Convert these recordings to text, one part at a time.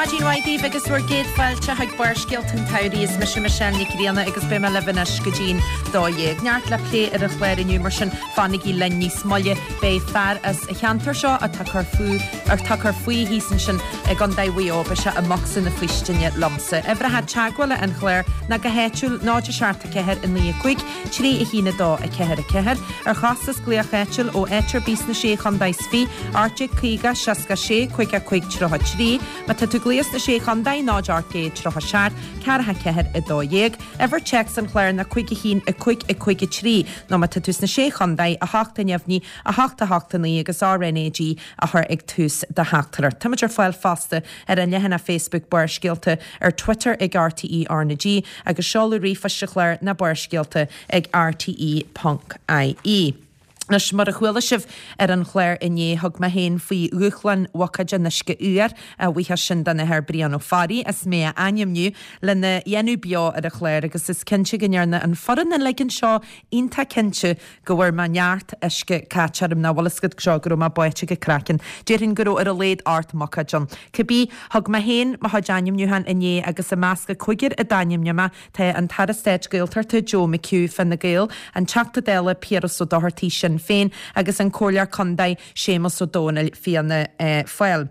Maidin mhaith daoibh agus bhur gcéad fáilte chuig Barrscéalta an tSamhraidh. Is mise Michelle Nic Grianna agus beidh mé libh anois go dtí'n 12. Neart le plé ar an chlár inniu mar sin fanaigí linn níos moille. Beidh fear as an cheantar seo atá ag cur atá ag cur faoi thíos ansin i gContae Mhaigh Eo, beidh sé i mbocsa na faoistine liomsa. Uimhreacha teagmhála an chláir ná go háitiúil 0 7 4 9 5 3 1 2 4 4. Ar chostas glaoch áitiúil ó áit ar bith sna Sé Chontae is Fiche, 1850 66 55 33. Má tá tú ag glaoch sna Sé Chontae, 0 837 4 4 12. Uimhir téacs an chláir ná 5 1 5 5 3 nó má tá tú sna Sé Chontae, 8 neamhní, 8 8 9 agus RnaG a chur ag tús do theachtaireacht. Táimid ar fáil fosta ar an leathanach Facebook Barrscéalta, ar Twitter ag RTÉ RnaG agus seoladh ríomhphoist an chláir ná barrscéalta ag rte ponc ie. Anois, mar a chuala sibh ar an chlár inné, thug mé féin faoi dhúshlán bhuicéid an uisce fhuair, a bhuíochas sin don Athair Brian Ó Fearraigh as mé a ainmniú lena dhéanamh beo ar an chlár agus is cinnte go ndearna an foireann uilig anseo iontach cinnte go bhfuair mé neart uisce caite orm, nó bhfuil fhios agat seo, go raibh mé báite go craiceann. Déarfainn go raibh ar a laghad 8 mbuicéid ann. Cibé, thug mé féin mo chuid ainmniúchán inné agus i measc an cúigir a d'ainmnigh mé tá an tAire Stáit Gaeltachta Joe McHugh, Fine Gael, an Teachta Dála Piaras Ó Dochartaigh, Sinn Féin, agus an Comhairleoir Contae Séamus Ó Domhnaill, Fianna Fáil.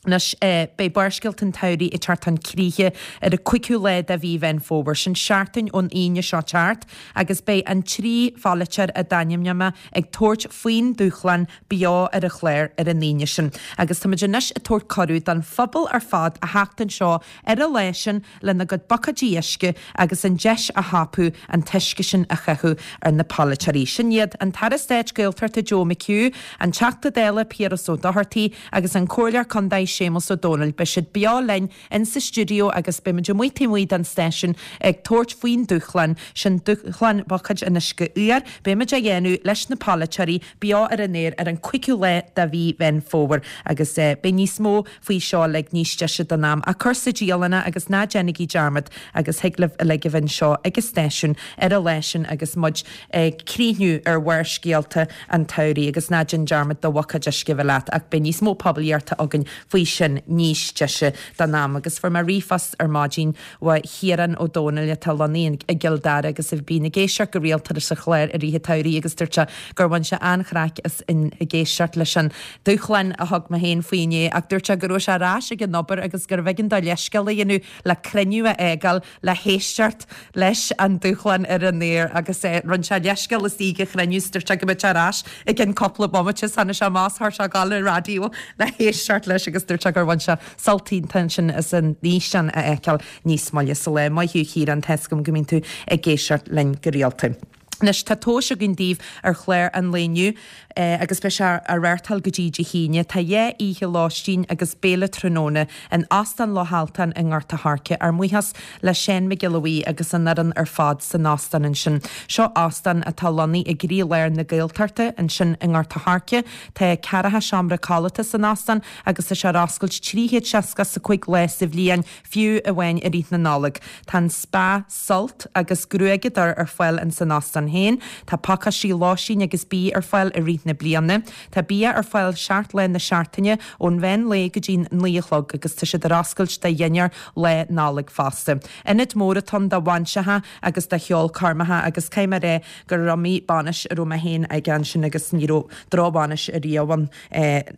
Anois, beidh Barrscéalta an tSamhraidh ag teacht chun críche ar an 5ú lá de mhí Mheán Fómhair, sin seachtain ón Aoine seo teacht, agus beidh an 3 pholaiteoir a d'ainmnigh mé ag tabhairt faoin dúshlán beo ar an chlár ar an Aoine sin. Agus táimid anois ag tabhairt cuireadh don phobal ar fad a theacht anseo ar an lá sin lena gcuid buicéidí uisce agus an deis a thapú an t-uisce sin a chaitheamh ar na polaiteoirí. Sin iad an tAire Stáit Gaeltachta Joe McHugh, an Teachta Dála Piaras Ó Dochartaigh agus an Comhairleoir Contae Séamus Ó Domhnaill. Beidh siad beo linn in sa stiúideo agus beidh muid amuigh taobh amuigh den stáisiún ag tabhairt faoin dúshlán sin, dúshlán buicéid an uisce fhuair. Beidh muid á dhéanamh leis na polaiteoirí beo ar an aer ar an 5ú lá de mhí Mheán Fómhair agus beidh níos mó faoi seo uilig níos deise don am. Ach cuir sa dialann é agus ná déanaigí dearmad agus thig libh uilig a bheith anseo ag an stáisiún ar an lá sin agus muid ag críochnú ar Bharrscéalta an tSamhraidh agus ná déan dearmad do bhuicéad uisce a bheith leat ach beidh níos mó poiblíochta againn faoi sin níos deise don am. Agus fuair mé ríomhphost ar maidin ó Chiarán Ó Domhnaill atá lonnaithe i gCill Dara agus a bhíonn ag éisteacht go rialta leis an chlár i rith an tsamhraidh agus dúirt sé gur bhain sé an-chraic as ag éisteacht leis an dúshlán a thug mé féin faoi inné ach dúirt sé go raibh sé ar ais ag an obair agus gurbh éigean dó leithscéal a dhéanamh le cruinniú a fhágáil le héisteacht leis an dúshlán ar an aer agus rinne sé leithscéal istigh ag an chruinniú is dúirt sé go mbeadh sé ar ais i gcionn cúpla bomaite is tháinig sé amach is chuir sé ag gabháil an raidió le héisteacht leis agus dúirt sé gur bhain sé sult iontach ansin as an fhíseán a fheiceáil níos moille sa lá. Maith thú a Chiaráin, tá 'fhios agam go mbíonn tú ag éisteacht linn go rialta. Anois, tá tomhais againn daoibh ar chlár an lae inniu agus beidh sé á reáchtáil go dtí Dé hAoine. Tá dhá oíche lóistín agus béile tráthnóna in Óstán Loch Altáin i nGort a' Choirce. Ár mbuíochas le Seán Mac Giolla Bhuí agus an fhoireann ar fad san óstán ansin. Seo óstán atá lonnaithe i gcroílár na Gaeltachta ansin i nGort a' Choirce. Tá ceathracha seomra codlata san óstán agus tá sé ar oscailt 365 lá sa bhliain, fiú amháin i rith na Nollag. Tá an spa Sult agus gruaigeadóir ar fáil in san óstán féin. Tá pacáistí lóistín agus bídh ar fáil i rith na bliana. Tá bia ar fáil seacht lá na seachtaine ón mheán lae go dtí'n 9 a chlog agus tá siad ar oscailt do dhinnéar Lá Nollag fosta. Ionad mór atá ann do bhainseacha agus do cheolchoirmeacha agus caithfidh mé a rá gur iomaí bainis a raibh mé féin aige ansin agus ní raibh drochbhainis ariamh ann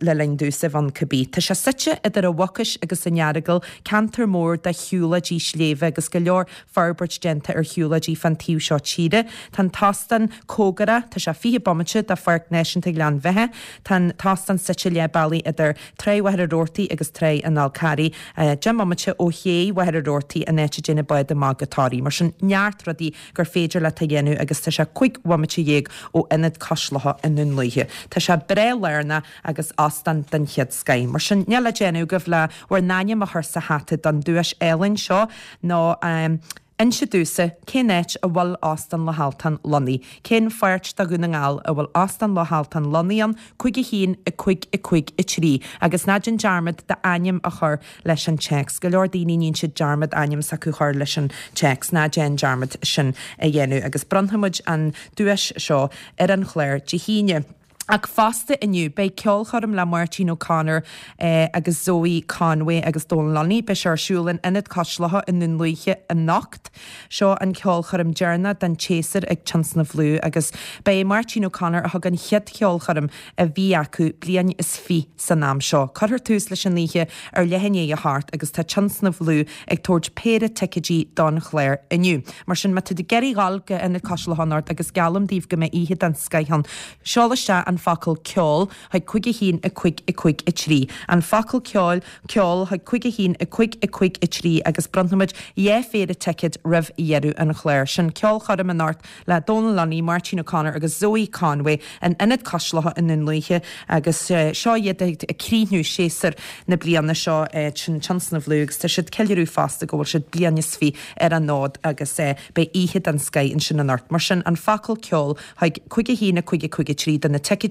le linn domhsa a bheith ann cibé. Tá sé suite idir an Mhucais agus an Earagail, ceantar mór de shiúlóidí sléibhe agus go leor forbairt déanta ar shiúlóidí fán taobh seo tíre. Tá an t-óstán cóngarach, tá sé 20 bomaite de Pháirc Náisiúnta Ghleann Bheatha. Tá an t-óstán suite leath bealaigh idir Tráigh Mhachaire Rabhartaigh agus Tráigh an Fhál Carraigh, 10 mbomaite ó ché Mhachaire Rabhartaigh, an áit a dtéann an bád amach go Toraigh. Mar sin, neart rudaí gur féidir leat a dhéanamh agus tá sé 15 bhomaite ó Ionad Cois Locha i nDún Lúiche. Tá sé breá lárnach agus óstán den chéad scoith. Mar sin, níl le déanamh agaibh le bhur n-ainm a chur sa hata don duais álainn seo ná inse domhsa cén áit a bhfuil Óstán Loch Altáin lonnaithe. Cén pháirt de Dhún na nGall a bhfuil Óstán Loch Altáin lonnaithe ann? 5 1 5 5 3 Agus ná déan dearmad d'ainm a chur leis an téacs. Go leor daoine níonn siad dearmad ainm s'acu a chur leis an téacs. Ná déan dearmad sin a dhéanamh agus bronnfaidh muid an duais seo ar an chlár Dé hAoine. Ach fosta inniu, beidh ceolchoirm le Máirtín O'Connor agus Zoe Conway agus Dónal Lunny. Beidh sé ar siúl in Ionad Cois Locha i nDún Lúiche anocht. Seo an ceolchoirm deireanach den tséasúr ag Tionscnamh Lú agus ba é Máirtín O'Connor a thug an chéad cheolchoirm a bhí acu bliain is fiche san am seo. Cuirfear tús leis an oíche ar leath i ndiaidh a hocht agus tá Tionscnamh Lú ag tabhairt péire ticéidí don chlár inniu. Mar sin, má tá tú ag iarraidh dhul go Ionad Cois Locha anocht agus geallaim daoibh go mbeidh oíche den scoith ann, Seol isteach an focal 'ceol' chuig 5 1 5 5 3. An focal ceoil, ceol chuig 5 1 5 5 3 agus bronnfaimid 2 phéire ticéad roimh dheireadh an chláir. Sin ceolchoirm anocht le Dónal Lunny, Máirtín O'Connor agus Zoe Conway in Ionad Cois Locha i nDún Lúiche agus seo iad ag críochnú séasúr na bliana seo, sin Tionscnamh Lú agus tá siad ceiliúradh fosta go bhfuil siad bliain is fiche ar an fhód agus beidh oíche den scoith ansin anocht. Mar sin, an focal 'ceol' chuig 5 1 5 5 3 do na ticéidí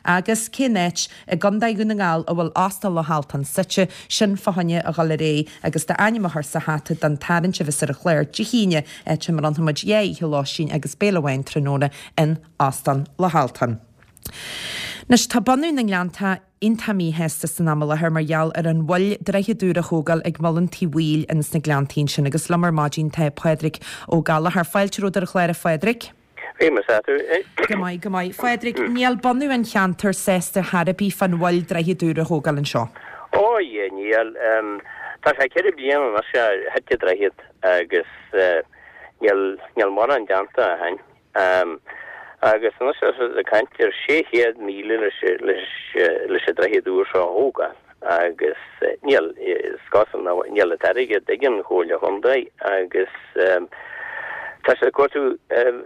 agus cén áit i gContae Dhún na nGall a bhfuil Óstán Loch Altan suite, sin fá choinne a dhul ar aghaidh agus d'ainm a chur sa hata don tarraingt a bheas ar an chlár Dé hAoine, áit a mbronnfaidh muid 2 oíche lóistín agus béile amháin tráthnóna in Óstán Loch Altan. Anois tá bunadh na nGleanntach iontach míshásta san am i láthair mar gheall ar an mhoill droichead úr a thógáil ag Muileann Tí Bhaoill ins na Gleanntaí ansin agus liom ar maidin tá Pádraig Ó Gallchóir. Fáilte romhat ar an chlár a Phádraig. Bhí mé sásta. Go maith, go maith. Phádraig, níl bunadh an cheantair sásta chor ar bith fán mhoill droichead úr a thógáil anseo. Ó yeah, níl. Tá sé 4 bliana anois ó thit an droichead agus níl, níl mórán déanta ó shin. Agus anois tá siad ag caint ar 600,000 leis, leis, leis an droichead úr seo a thógáil. Agus níl, is cosúil ná níl an t-airgead ag an Chomhairle Chontae agus tá siad ag cuartú an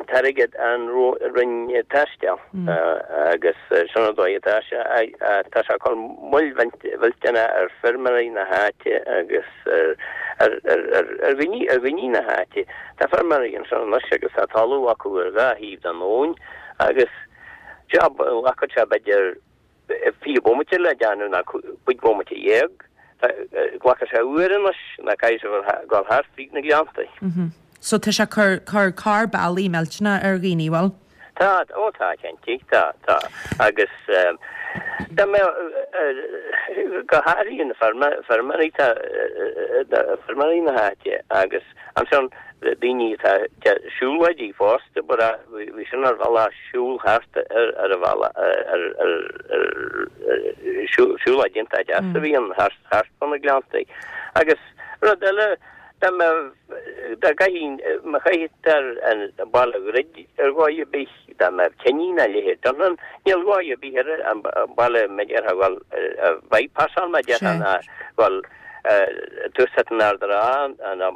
t-airgead ón Roinn Taistil agus sin an dóigh atá sé. Tá sé ag cur moill mhillteanach ar feirmeoirí na háite agus ar dhaoine na háite. Tá feirmeoirí anseo anois agus tá talamh acu ar dhá thaobh den abhainn agus job a ghlacfadh sé b'fhéidir 20 bomaite le déanamh ná 15 bomaite. Glacfaidh sé uair anois ná caithfidh sé a ghabháil thart fríd na gleanntaí. So tá sé ag cur cur cor bealaigh millteanach ar dhaoine, bhfuil? Tá, ó tá, cinnte, tá, tá. Agus dá mbeadh, go háirithe na feirmeoirí, tá, feirmeoirí na háite agus ansan daoine atá ag siúlóidí fosta, but bhí sin ar bhealach siúl thart ar ar an bhealach ar ar siúlóid iontach deas a bhí ann thart thart fá na gleanntaí. Agus rud eile, dá mbeadh, dá gcaithfinn, má chaithfear an baile a dhruid ar dhóigh ar bith, dá mbeadh tine ná a leithéid ann, níl dhóigh ar bith ar an baile mar a déarfá a dhul a bypassáil mar a déarfá ná dhul tús at an Ard Ráth ná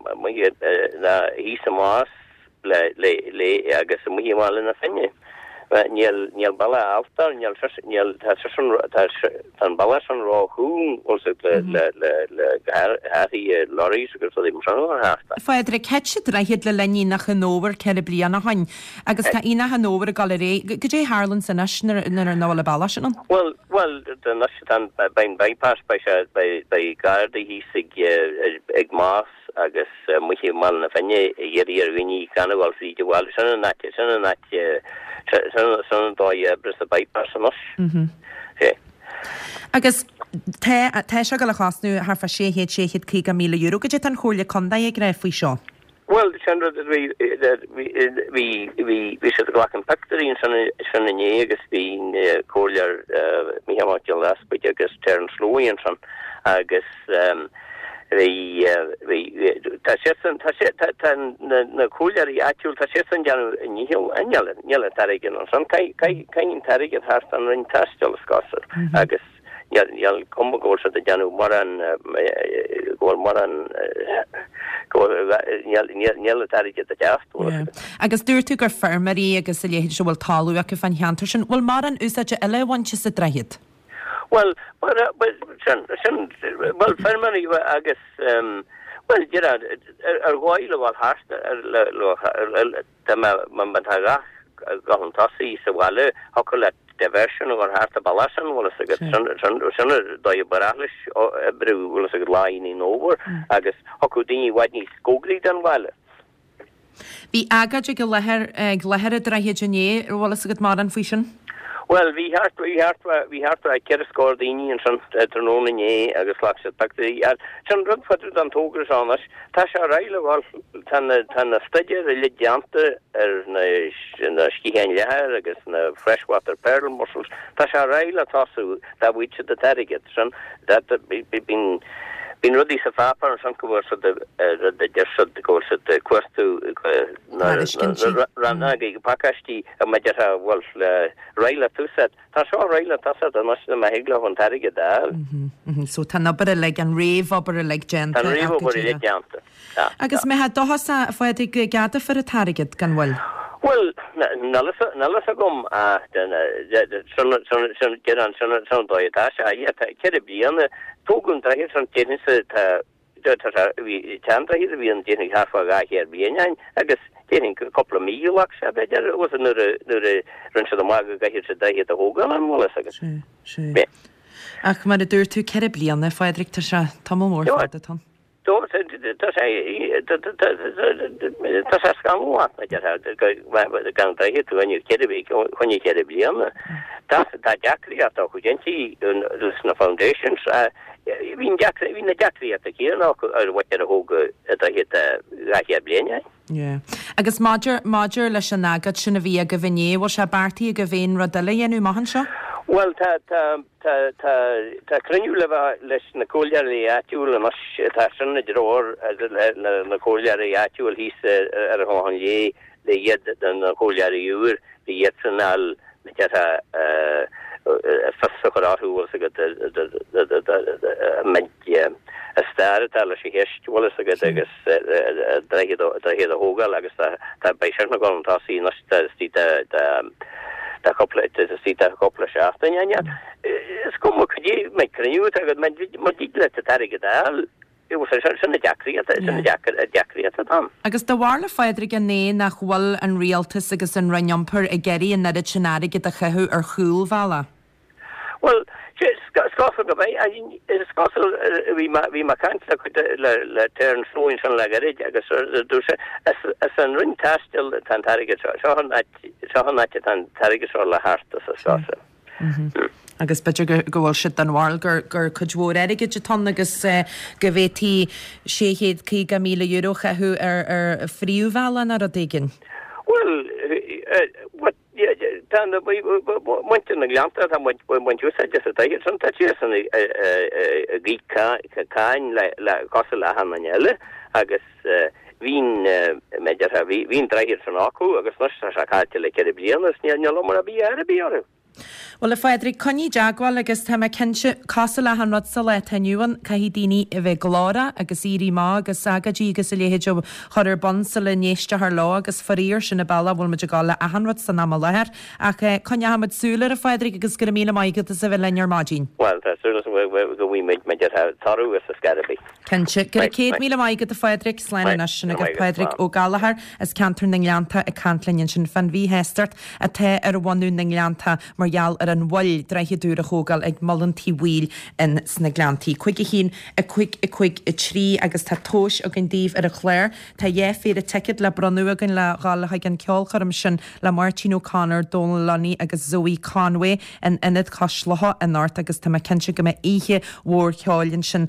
thíos i Más le le le agus amuigh i mBaile na Finne. Níl níl bealach Alltar níl níl tá sin tá tá an bealach sin ró-chúng bhfuil le le le le háirithe lorries agus rudaí mar sin a thart. Phádraig, thit an droichead le linn Aonach an Fhómhair 4 bliana ó shin agus tá Aonach an Fhómhair ag dul ar aghaidh. Goidé a tharlaíonns anois nuair nuair nach bhfuil an bealach sin ann? Bhuel bhuel anois tá an beidh an bypass beidh sé beidh beidh gardaí thíos ag ag Más agus amuigh i mBaile na Finne ag iarraidh ar dhaoine gan a dhul fríd an bhaile. Sin an áit, sin an áit, sin an dóigh a oibreos an bypass anois. Sea. Agus tá, tá sé ag dul a chosnú thart fá 600, 650,000 euro. Goidé tá an Chomhairle Contae ag rá faoi seo? Bhuel, sin rud, bhí, bhí, bhí, bhí, bhí siad ag glacadh pictiúirí ansin, ansin inné agus bhí an Comhairleoir Mícheál Mac Giolla Easbuig agus Terence Slowey ansin agus, Bhí, bhí, tá siadsan, tá sé, tá, tá na, na comhairleoirí áitiúil, tá siadsan ag déanamh a ndícheall, níl, níl an t-airgead ansan, caithfidh, caithfidh, caithfidh an t-airgead theacht ón Roinn Taistil is cosúil agus níl, níl cuma go bhfuil siad ag déanamh mórán, go bhfuil mórán, go bhfuil, níl, níl, níl an t-airgead ag teacht, bhfuil a fhios agat. Agus dúirt tú gur feirmeoirí agus a leithéid a bhfuil talamh acu fán cheantar sin, bhfuil mórán úsáide eile á bhaint as an droichead? Bhuel, sin, sin, bhuel, feirmeoirí agus, bhuel, déarfá, ar dhóigh le dhul thart ar, le, le, dá mbeadh, má tá gach, gach chun tosaigh sa bhaile, thiocfadh leat diversion a chur thart an bealach sin, bhfuil a fhios agat, sin, sin, sin an dóigh ba ghnách leis oibriú, bhfuil a fhios agat, lá Aoine an Fhómhair agus thiocfadh daoine i bhfad níos cóngaraí don bhaile. Bhí agóid ag láthair, ag láthair an droichid inné, an bhfuil fhios agat mórán faoi sin? Bhuel, bhí thart, bhí thart, bhí thart ar cheithre scór daoine ansin tráthnóna inné agus ghlac siad pictiúirí. Sin an rud fá dtaobh den togra seo anois, tá sé réidh le dhul, tá na, tá na staidéir uilig déanta ar na, na sciatháin leathair agus na freshwater pearl mussels, tá sé réidh le tosú dá bhfaigheadh siad an t-airgead. Sin, bíonn, bíonn rudaí sa pháipéar ansin go bhfuil siad, rud a deir siad go bhfuil siad ag cuartú na, na, na, pacáistí a mba déarfá bhuel réidh le tosach. Tá seo réidh le tosach anois má thig leo an t-airgead a fháil. So tá an obair uilig, an réamhobair uilig déanta Tá an réamhobair uilig déanta. Agus an mbeifeá dóchasach, a Phádraig, go gceadófar an t-airgead gan mhoill? Bhuel, níl a fhios agam sin sin an dóigh atá sé. 4 bliana, tógadh an droichead sin déarfainnse tá Bhí seandroichead a bhí ann déarfainn thart fá 200 bliain ó shin agus déarfainn cúpla mí a ghlac sé b'fhéidir agus nuair a nuair a rinne siad amach go gcaithfeadh siad droichead a thógáil an bhfuil fhios agat. Sea, sea. Ach mar a dúirt tú, 4 bliana, a Phádraig, tá sé tamall mór fada atá ann. Tá sé tá sé scannalach a déarfá gan droichead a choinne 4 bliana. Tá deacraíocht acu déantaí leis na foundations Bhí na deacraíochtaí céanna acu ar mhuintir a thóg an droichead 200 bliain ó shin. Yeah. Agus maidir, maidir leis an agóid sin a bhí agaibh inné, bhfuil sé beartaithe agaibh aon rud eile a dhéanamh amach anseo? Bhuel, tá, tá, tá, tá, tá cruinniú le bheith leis na comhairleoirí áitiúil anois, tá sin i dtreoir le, le na comhairleoirí áitiúil thíos ar an Chlochán Liath, le iad, na comhairleoirí úr, le iadsan a fháil déarfá fios a chur orthu bhfuil fhios agat an méid stair atá leis an cheist bhfuil fhios agat agus droichead a thógáil agus tá beidh sin ag dul chun tosaigh anois istigh de chúpla istigh de chúpla seachtain. Is cuma cad é an méid cruinniú atá agat má thig leat an t-airgead a fháil Sin na deacraíochtaí, sin na deacraíochtaí atá ann. Agus do bharúil a Phádraig an é nach bhfuil an Rialtas agus an Roinn Iompair ag iarraidh an oiread sin airgid a chaitheamh ar chúlbhealach? Bhuel, is cosúil go mbeidh. Is cosúil, bhí mé bhí mé ag caint le cuid le le Terence Rowan ansin le gairid agus dúirt sé, is an Roinn Taistil atá an t-airgead seo, seo an áit, seo an áit atá an t-airgead seo le theacht as is cosúil. Agus b'fhéidir go bhfuil siad den bharúil gur cuid mhór airgid atá ann agus go bhféadfaí €650,000 a chaitheamh ar phríomhbhealach nó rud éigin. Bhuel, tá na, muintir na nGleannta atá ag baint úsáid as an droichead sin, tá siadsan ag íoc cáin le cosúil le achan duine eile agus bhí an, mar a déarfá, bhí an droichead sin acu agus anois tá sé caillte le 4 bliana agus níl iomrá ar bith ar bith orthu. Bhuel, a Phádraig, coinnigh i dteagmháil agus tá mé cinnte, cosúil le achan rud sa lá atá inniu ann, caithfidh daoine a bheith glórach agus éirí amach agus agóidí agus a leithéid a chur ar bun sula n-éisteofar leo agus faraor sin an bealach a bhfuil muid ag dul le achan rud san am i láthair. Ach coinneoidh muid súil air, a Phádraig, agus go raibh míle maith agat as a bheith linn ar maidin. Bhuel, tá súil agam go bhfaighidh muid, mar a déarfá, toradh as ar scor ar bith. Cinnte. Go raibh 100,000 maith agat a Phádraig. Slán anois. Sin agaibh Pádraig Ó Gallchóir as ceantar na nGleannta ag caint linn ansin fán mhíshástacht atá ar bhunadh na nGleannta mar gheall ar an mhoill droichead úr a thógáil ag Muileann Tí Bhaoill in sna Gleanntaí. 5 1 5 5 3 agus tá tomhais againn daoibh ar an chlár. Tá dhá phéire ticéad le bronnadh againn le dhul chuig an ceolchoirm sin le Máirtín O'Connor, Dónal Lunny agus Zoe Conway in Ionad Cois Locha anocht agus tá mé cinnte go mbeidh oíche mhór cheoil ansin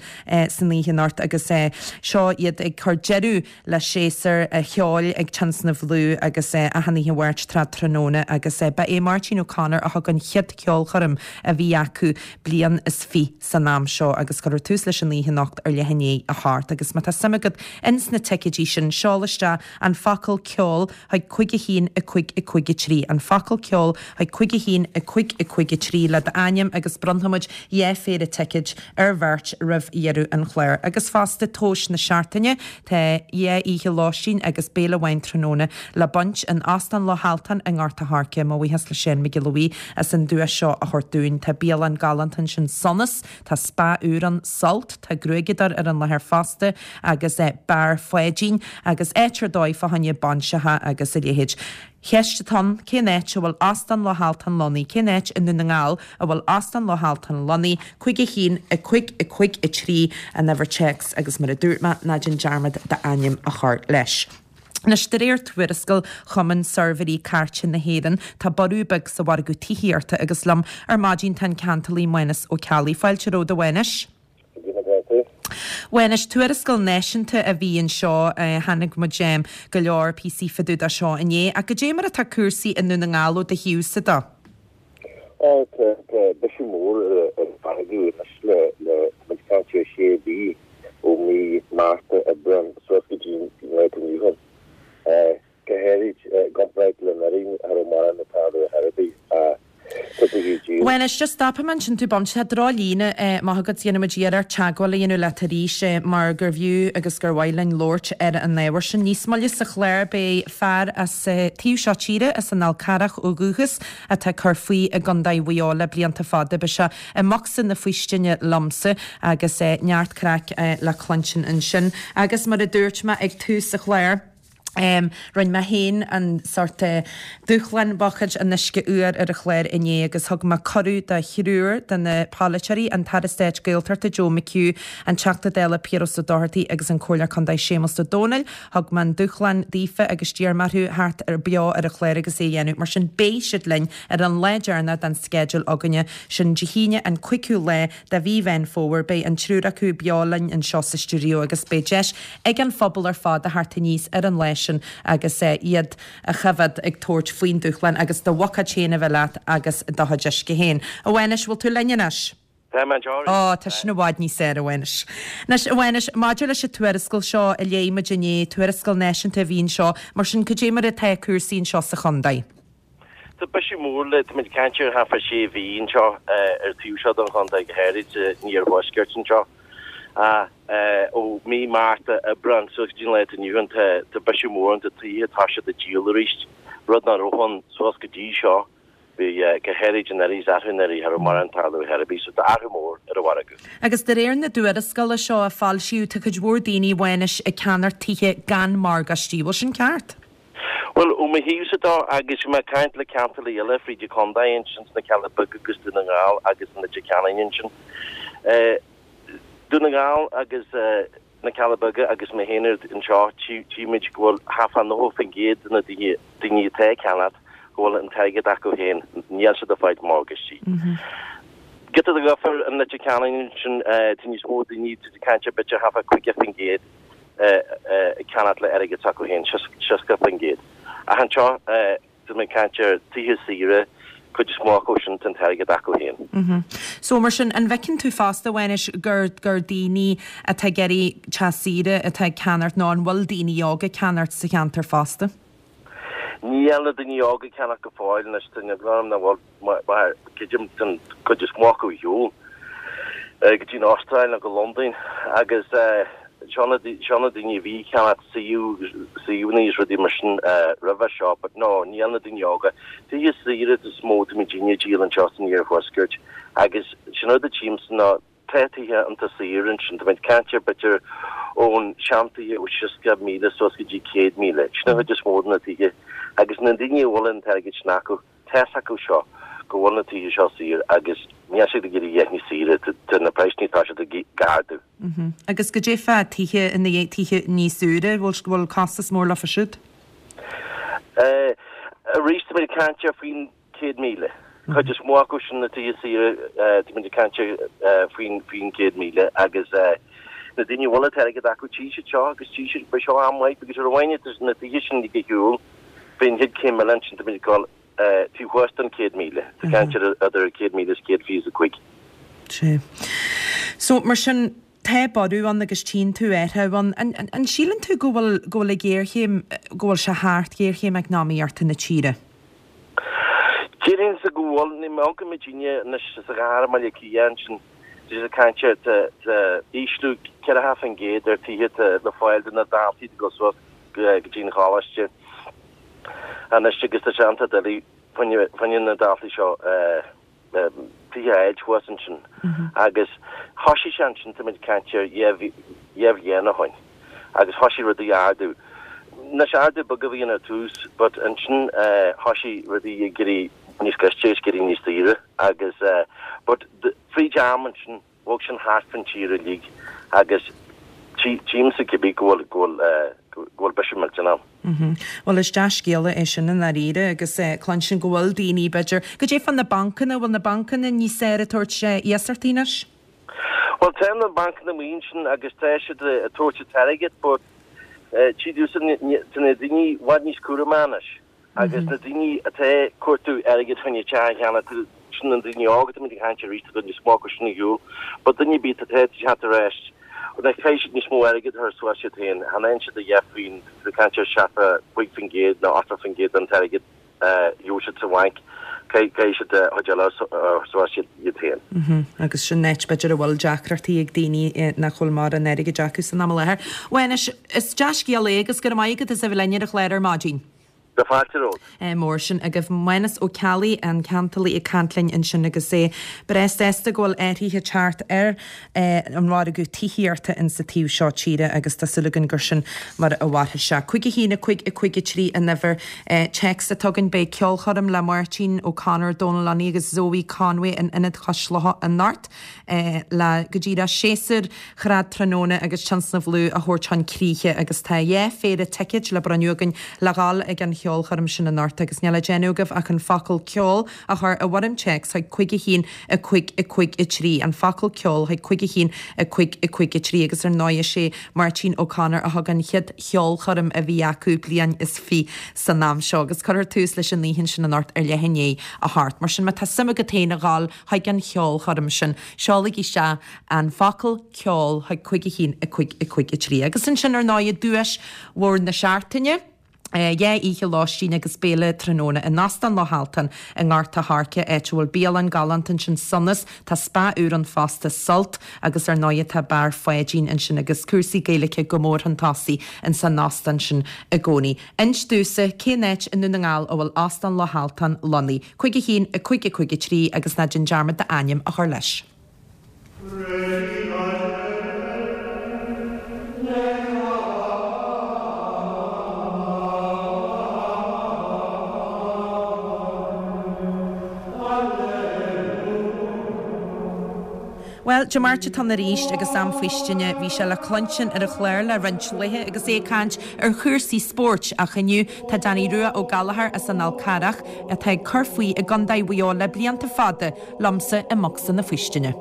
san oíche anocht agus seo iad ag cur deireadh le séasúr cheoil ag Tionscnamh Lú agus achan oíche Mháirt tráthnóna agus ba é Máirtín O'Connor a thug an chéad cheolchoirm a bhí acu bliain is fiche san am seo agus cuirfear tús leis an oíche anocht ar leath i ndiaidh a hocht agus má tá suim agat ins na ticéidí sin seol isteach an focal ceol chuig 5 1 5 5 3 an focal ceol chuig 5 1 5 5 3 le d'ainm agus bronnfaimid dhá phéire ticéid ar bheirt roimh dheireadh an chláir. Agus fosta tomhais na seachtaine, tá dhá oíche lóistín agus béile amháin tráthnóna le baint in Óstán Loch Altan i nGort a' Choirce. Mo bhuíochas le Shane Mac Giolla Bhuí as an duais seo a thabhairt dúinn. Tá bialann galánta ansin, Sonas, tá spa úr ann, Sult, tá gruaigeadóir ar an láthair fosta agus Beár Pháidín agus áit ar dóigh fá choinne bainseacha agus a leithéid. Ceist atá ann, cén áit a bhfuil Óstán Loch Altan lonnaithe? Cén áit i nDún na nGall a bhfuil Óstán Loch Altan lonnaithe? 5 1 5 5 3 an uimhir téacs agus mar a dúirt mé, ná déan dearmad d'ainm a chur leis. Anois, de réir tuarascáil Chumann Suirbhéirí Cairte na hÉireann, tá borradh beag sa mhargadh tithíochta agus liom ar maidin tá an ceantálaí Mánus Ó Ceallaigh. Fáilte romhat, a Mhánais. Mhánais, tuarascáil náisiúnta a bhí anseo, chonaic muid go leor píosaí fá dtaobh de seo inné, ach goidé mar atá cúrsaí i nDún na nGall ó do thaobhsa de? Tá bisiú mór ar an mhargadh anois le tá muid ag caint ar shé mhí, ó mí Márta, Aibreán suas go dtí an lá atá inniu ann. Go háirid i gcomparáid le anuraidh, cha raibh mórán ag tarlú ar chor ar bith ach tá daoine ag díol. Mhánais, just stopfaidh mé ansin tú bomaite, tá drochlíne maith agat, déanfaidh muid iarracht teagmháil a dhéanamh leat arís mar gur bhfiú agus gur mhaith linn labhairt ar an ábhar sin. Níos moille sa chlár beidh fear as taobh seo tíre, as an Fhál Carrach ó dhúchas, atá ag cur faoi i gContae Mhaigh Eo le blianta fada. Beidh sé i mbocsa na faoistine liomsa agus neart craic le cluinstin ansin. Agus mar a dúirt mé ag tús an chláir, rinne mé féin an sórt dúshlán buicéad an uisce fhuair ar an chlár inné agus thug mé cuireadh do thriúr de na polaiteoirí, an tAire Stáit Gaeltachta Joe McHugh, an Teachta Dála Piaras Ó Dochartaigh agus an Comhairleoir Contae Séamus Ó Domhnaill, Thug mé an dúshlán daofa agus d'iarr mé orthu theacht ar beo ar an chlár agus é a dhéanamh. Mar sin beidh siad linn ar an lá deireanach den sceideal againne, sin Dé hAoine an 5ú lá de mhí Mheán Fómhair. Beidh an triúr acu beo linn anseo sa stiúideo agus beidh deis ag an phobal ar fad a theacht aníos ar an lá sin agus iad a choimhéad ag tabhairt faoin dúshlán agus do bhuicéad féin a bheith leat agus do chuid uisce féin. A Mhánais, bhfuil tú linn anois? Tá mé anseo arís. Ó, tá sin i bhfad níos fearr, a Mhánais. Anois, a Mhánais, maidir leis an tuarascáil seo a léigh muid inné, tuarascáil náisiúnta a bhí anseo, mar sin, cad é mar atá cúrsaí anseo sa chontae? Tá bisiú mór le, tá muid ag caint ar thart fá sé mhí anseo ar an taobh seo den chontae, go háirid san iarthuaisceart anseo. Ach ó mí Márta, Aibreán suas go dtí an lá atá inniu ann, tá bisiú mór ann, tá tithe tá siad ag díol arís, rud nach raibh ann suas go dtí seo. Bhí, go háirid anuraidh is arú anuraidh, cha raibh mórán ag tarlú ar chor ar bith, so tá athrú mór ar an mhargadh. Agus de réir na dtuarascála seo a foilsíodh, tá cuid mhór daoine, a Mhánais, ag ceannacht tithe gan morgáistí. Bhfuil sin ceart? Bhuel, ó mo thaobhsa de, agus bhí mé ag caint le ceantálaí eile fríd an chontae ansin sna Cealla Beaga agus Dún na nGall agus i Leitir Ceanainn ansin. Dún na nGall agus. na Cealla Beaga agus mé féin anseo, tchímid go bhfuil thart fá 90% de na daoine atá ag ceannacht go bhfuil an t-airgead acu féin, níl siad ag fáilt morgáistí. Giota de dhifear i Leitir Ceanainn ansin, tá níos mó daoine, tá caint ar b'fhéidir thart fá 50% ag ceannacht le airgead s'acu féin, 60%. Ach anseo, Tá mé ag caint ar tithe saoire, cuid is mó acu sin tá an t-airgead acu féin. So mar sin, an bhfeiceann tú fosta, a Mhánais, gur gur daoine atá ag iarraidh teach saoire atá ag ceannacht nó an bhfuil daoine óga ag ceannacht sa cheantar fosta? Níl na daoine óga ag ceannacht go fóill anois, tá an eagla orm nach bhfuil. Mar creidim tá an cuid is mó acu ar shiúl go dtí an Astráil nó go Londain agus seo na seo na daoine a bhí ag ceannacht suíomhanna is rudaí mar sin roimhe seo but no níl na daoine óga. Tithe saoire is mó tá muidinne ag díol anseo san iarthuaisceart agus sin rud a tchímse ná tá tithe iontach saor ansin tá muid ag caint ar b'fhéidir ón seantithe ó 60,000 suas go dtí 100,000 sin an chuid is mó de na tithe agus na daoine a bhfuil an t-airgead sin acu Tá's acu seo go bhfuil na tithe seo saor agus níl siad ag iarraidh a dhath níos saoire, tá na praghsanna tá siad ag ardú. Agus goidé fá tithe ina dhiaidh, tithe níos úire, bhfuil bhfuil costas mór leofa siúd? Arís tá muid ag caint ar faoin 100,000. Cuid is mó acu sin na tithe saoire tá muid ag caint ar faoin faoin 100,000 agus na daoine a bhfuil an t-airgead acu tchí siad seo agus tchí siad beidh seo am maith because ar amháin na tithe sin ag shiúl Faoin chéad chéim eile ansin tá muid ag dul taobh thuas den 100,000. Tá caint ar idir 100,000 is 125. Sea. So, mar sin, tá borradh ann agus tchíonn tú athrú ann. An síleann tú go bhfuil, go bhfuil an ghéarchéim, go bhfuil sé thart, géarchéim eacnamaíochta na tíre? Déarfainnse go bhfuil. Ní maith go muidinne anois sa chathair i mBaile Átha Cliath ansin, tá siad ag caint ar tá ísliú 40% ar tithe atá le fáil do na daltaí ag dul suas go dtí an choláiste anois agus tá sé iontach doiligh fá choinne na daltaí seo tithe a fháilt thuas ansin agus thoisigh sé ansin tá muid ag caint ar dheich mbliana ó shoin agus thoisigh rudaí a ardú. Anois ardú beag a bhí ann ar tús but ansin thoisigh rudaí ag éirí níos gaiste is ag éirí níos daoire agus but fríd am ansin Bhog sin thart fan tír uilig agus tchímse cibé go bhfuil, go bhfuil. go bhfuil biseach millteanach ann. Bhuel, is dea-scéala é sin i ndáiríre agus cluinsim go bhfuil daoine, b'fhéidir, goidé fá na bancanna, bhfuil na bancanna níos fearr ag tabhairt iasachtaí anois? Bhuel, tá na bancanna amuigh ansin agus tá siad ag tabhairt an t-airgead but tchí tusa tá na daoine i bhfad níos cúramaí anois agus na daoine atá ag cuartú airgead chun teach a cheannach sin na daoine óga atá muid ag caint arís tá níos mó acu sin ar shiúl but duine ar bith atá ag teacht ar ais na caithfidh siad níos mó airgead a chur suas iad féin chan fhaigheann siad a 10 faoin ag caint ar 75% nó 80% den t-airgead a gheobhaidh siad sa bhanc, caithfidh siad a chuid eile a chur suas iad féin. Agus sin áit, b'fhéidir, a bhfuil deacrachtaí ag daoine nach bhfuil mórán airgid acu san am i láthair. Bhuel anois, is dea-scéal é agus go raibh maith agat as a bheith linn ar an chlár ar maidin. Tá fáilte romhat. Mór sin agaibh. Mánus Ó Ceallaigh, an ceantalaí ag caint linn ansin agus é breá sásta go bhfuil athruithe ag teacht ar an mhargadh tithíochta in sa taobh seo tíre agus tá súil againn gur sin mar a mhairfidh sé. 5 1 5 5 3 an uimhir téacs atá againn. Beidh ceolchoirm le Máirtín O'Connor, Dónal Lunny agus Zoe Conway in Ionad Chois Locha anocht le go díreach séasúr Shráid Tráthnóna agus Tionscnamh Lú a thabhairt chun críche agus tá 2 phéire ticéid le bronnadh againn le dhul ag an cheolchoirm sin anocht agus níl le déanamh agaibh ach an focal 'ceol' a chur i bhfoirm téacs chuig 5 1 5 5 3, an focal ceol chuig 5 1 5 5 3 agus ar ndóigh is é Máirtín O'Connor a thug an chéad cheolchoirm a bhí acu bliain is fi san am seo agus cuirfear tús leis an oíche sin anocht ar leath i ndiaidh a hocht. Mar sin má tá suim agat féin a dhul chuig an cheolchoirm sin, seolaigí isteach an focal ceol chuig 5 1 5 5 3. Agus ansin ar ndóigh duais mhór na seachtaine. 2 oíche lóistín agus béile tráthnóna in Óstán Loch Altan i nGort a' Choirce, áit a bhfuil bialann galánta ansin, Sonas, tá spa úr ann fosta, Sult, agus ar ndóighe tá Beár Pháidín ansin agus cúrsaí Gaeilge go mór chun tosaigh ins an óstán sin i gcónaí. Inis domhsa cén áit i nDún na nGall a bhfuil Óstán Loch Altan lonnaithe. 5 1 5 5 3 agus ná déan dearmad d'ainm a chur leis. Bhuel, Dé Máirt atá ann arís agus am faoistine. Bhí sé le cluinstin ar an chlár le roinnt laetha agus é ag caint ar chúrsaí spóirt ach inniu tá Danny Rua Ó Gallchóir as an Fhál Carrach, atá ag cur faoi i gContae Mhaigh Eo le blianta fada, liomsa i mbocsa na faoistine.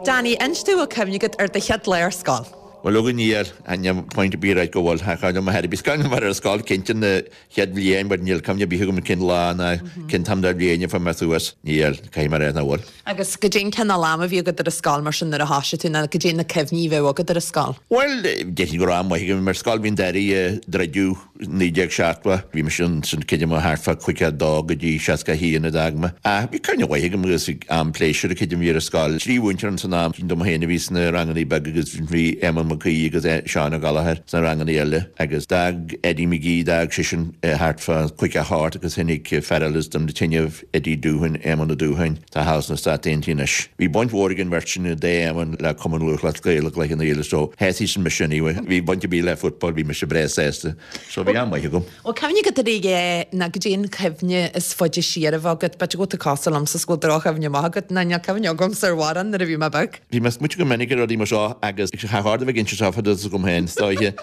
Danny, inis domh an bhfuil cuimhne agat ar do chéad lá ar scoil. Bhuel, ó níl, níl point ar bith a ráit go bhfuil, cha cuimhin liom ar bith. Is cuimhin liom ar scoil cinnte na chéad bhliain but níl cuimhne ar bith agam cén lá ná cén t-am den bhliain a fuair mé suas. Níl, caithfidh mé a rá nach bhfuil. Agus goidé an cineál ama a bhí agat ar an scoil mar sin nuair a thoisigh tú nó goidé na cuimhní a bheadh agat ar an scoil? Bhuel, déarfainn go raibh am maith agam ar scoil, bhí an Doirí ag druideadh 1970. Bhí mise ansin creidim thart fá 52 go dtí 61 a d'fhág mé. Ach bhí cuimhne mhaith agam agus am pléisiúir creidim a bhí ar an scoil. Trí mhúinteoir ann san am, dom féin a bhí sna rangannaí beaga agus bhí Éamonn Mac Aoidh agus Seán Ó Gallchóir sna rangannaí eile. Agus d'fhág Eddie McGee, d'fhág seisean thart fá 58 agus tháinig fear eile as Dún na Tine, Eddie Doohan, Éamonn Ó Dútháin, atá thall sna Stáit Aontaithe anois. Bhí baint mhór ag an bheirt sin, an dá Éamonn, le Cumann Lúthchleas Gael i gCloich Cheann Fhaola so shásaigh sin mise anyway. Bhí baint ar bith le football, bhí mise breá sásta. So bhí am maith agam. Bhfuil cuimhne agat ar a nó goidé an chuimhne is faide siar a bheadh agat? B'fhéidir go bhfuil tú cosúil liomsa is go bhfuil droch-chuimhne maith agat, nó níl cuimhne agamsa ar mhórán nuair a bhí mé beag. Bhí mé ag smaoitiú go minic ar rudaí mar seo agus cha chóir domh bheith ag inse seo fad is agam féin, is dóiche.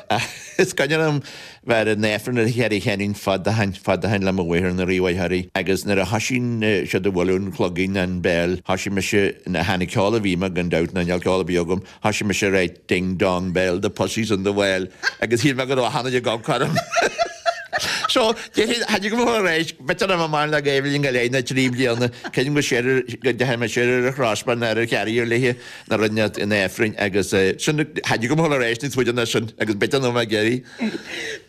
Is cuimhin liom bheith ar an Aifreann ar Charraig Ceannúin fad ó shoin, fad ó shoin le mo mháthair ina rímhaith agus nuair a thoisigh siad ag bualadh an chloigín an bell, thoisigh mise, chan ag ceol a bhí mé gan dabht ná níl ceol ar bith agam, thoisigh mise ag ráit ding dong bell, the pussy's in the well agus shíl mé go raibh achan duine ag amharc orm. So, déarfainn, tháinig mo ar ais, b'fhéidir nach raibh mé ann le dhá bhliain go leith nó trí bliana, creidim go siar, go ndeachaigh mé siar ar an chrosbarr nó ar an charraig ar leithe. na rinne in Aifrinn agus sin tháinig go mall ar ais níos faide ná sin agus b'fhéidir nach mbeidh ag iarraidh.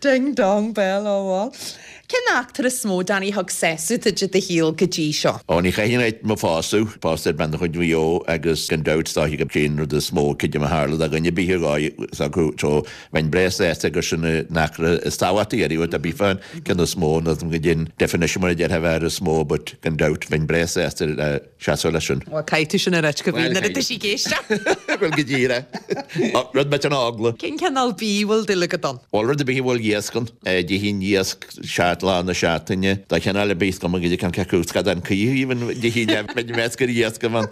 Ding dong bell ó bhuel. Cén eachtra is mó, Danny, a thug sásamh duit i do shaol go dtí seo? Ó ní chaithfinn a ráit mo phósadh, pósta ar bean de chuid Mhaigh Eo agus gan dabht is dóiche gurb é an rud is mó creidim a tharla do dhuine ar bith ar dhóigh s'acu so bheinn breá sásta gur sin an eachtra is tábhachtaí ariamh dá mbífeá an ceann is mó nó go dtéann definition mar a déarfá a bheith ar is mó but gan dabht bheinn breá sásta le seasamh leis sin. Bhuel, caithfidh tú sin a ráit go bhí nuair atá sí ag éisteacht. Bhuel, go díreach. Rud millteanach eagla. Cén cineál bídh a bhfuil dúil agat ann? Bhuel, rud ar bith a bhfuil iasc ann. D'ithinn iasc, sea. thart lá na seachtaine. De chineál ar bith, is cuma goidé ceann cé acu scadán caoch even Dé hAoine, bheinn ag meascadh ar iasc a bhean.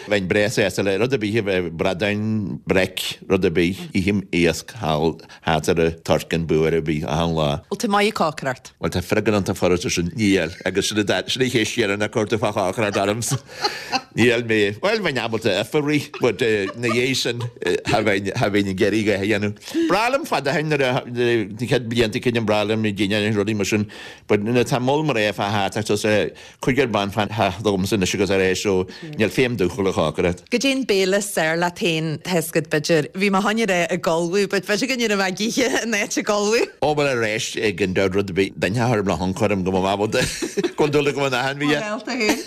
Bheinn breá sásta le rud ar bith a bheith, bradáin, breac, rud ar bith, ithim iasc thall thart ar an toirt gan buaireamh ar bith achan lá. Bhfuil tú maith ag cócaireacht? Bhuel tá freagra iontach furasta sin, níl, agus sin an sin an cheist dheireanach a chuir tú fá chócaireacht ormsa. Níl mé, bhuel bheinn ábalta uibhe a rith but ina dhiaidh sin cha bheinn, cha bheinn ag iarraidh a dhath a dhéanamh. Breá liom fad ó shin nuair a, na chéad blianta creidim breá liom ag déanamh rudaí mar sin but nuair atá moll mná fá theacht so Cúigear ban fán theach domsa anois agus ar éis so níl feidhm domh chuile chócaireacht. Goidé an béile is fearr leat féin, tá fhios agat, b'fhéidir. Bhí mé chun a rá ag ullmhú, but b'fhéidir go ndéarfaidh mé ag ithe in áit ag ullmhú. Ó bhuel ar éis ag an dord rud ar bith duine a chuir le hionchur orm go mba mhaith go bhfuil dul agam in achan bhia. Mo réalta féin.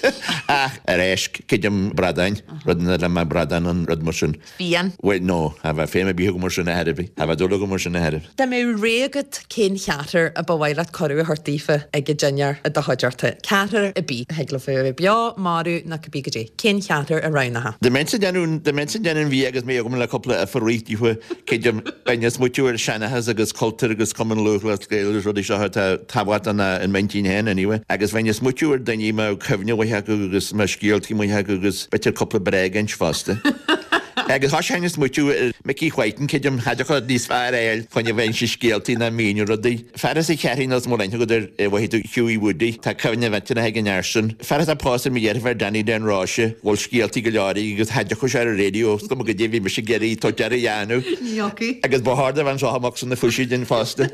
Ach ar éis, creidim bradáin, rud ina le mé bradán an rud mar sin. Fiáin. Bhuel, no, cha bheadh feidhm ar bith agam mar sin ar chor ar bith. Cha bheadh dúil agam mar sin ar chor ar bith. Dá mbeadh rogha agat cén cheathrar a ba mhaith leat cuireadh a thabhairt daofa ag an dinnéar i do chuideachta? Ceathrar ar bith. Thig leo a bheith beo, marbh nó cibé goidé. Cén cheathrar a roghnófá? Dá mbeinnse ag déanamh, dá mbeinnse ag déanamh an bhia agus mé agam le cúpla uibhe a rith daofa, creidim, bheinn ag smaoitiú ar seanchas agus cultúr agus Cumann Lúthchleas Gael agus rudaí seo atá tábhachtach in m'intinn féin anyway. Agus bheinn ag smaoitiú ar daoine a mbeadh cuimhne mhaith acu agus mbeadh scéaltaí maithe acu agus b'fhéidir cúpla bréag-inse fosta. Agus thoisigh ag smaoitiú ar Mickey Whiting, creidim, cha dtiocfadh níos fearr a fháil chun a bheith ag inse scéaltaí ná míniú rudaí. Fear as an Cheathrú níl mórán aithne agat air, a mhothaigh tú Hughie Woody, tá cuimhne mhillteanach ag an fhear sin. Fear atá pósta ar mo dheirfiúr Danny Dan Róise, bhfuil scéaltaí go leor aige agus cha dtiocfadh sé ar an raidió, is cuma goidé bhí mise ag iarraidh tabhairt air a dhéanamh. Ní thiocfaidh. Agus ba chóir do bheith anseo amach san na fuisídin fosta.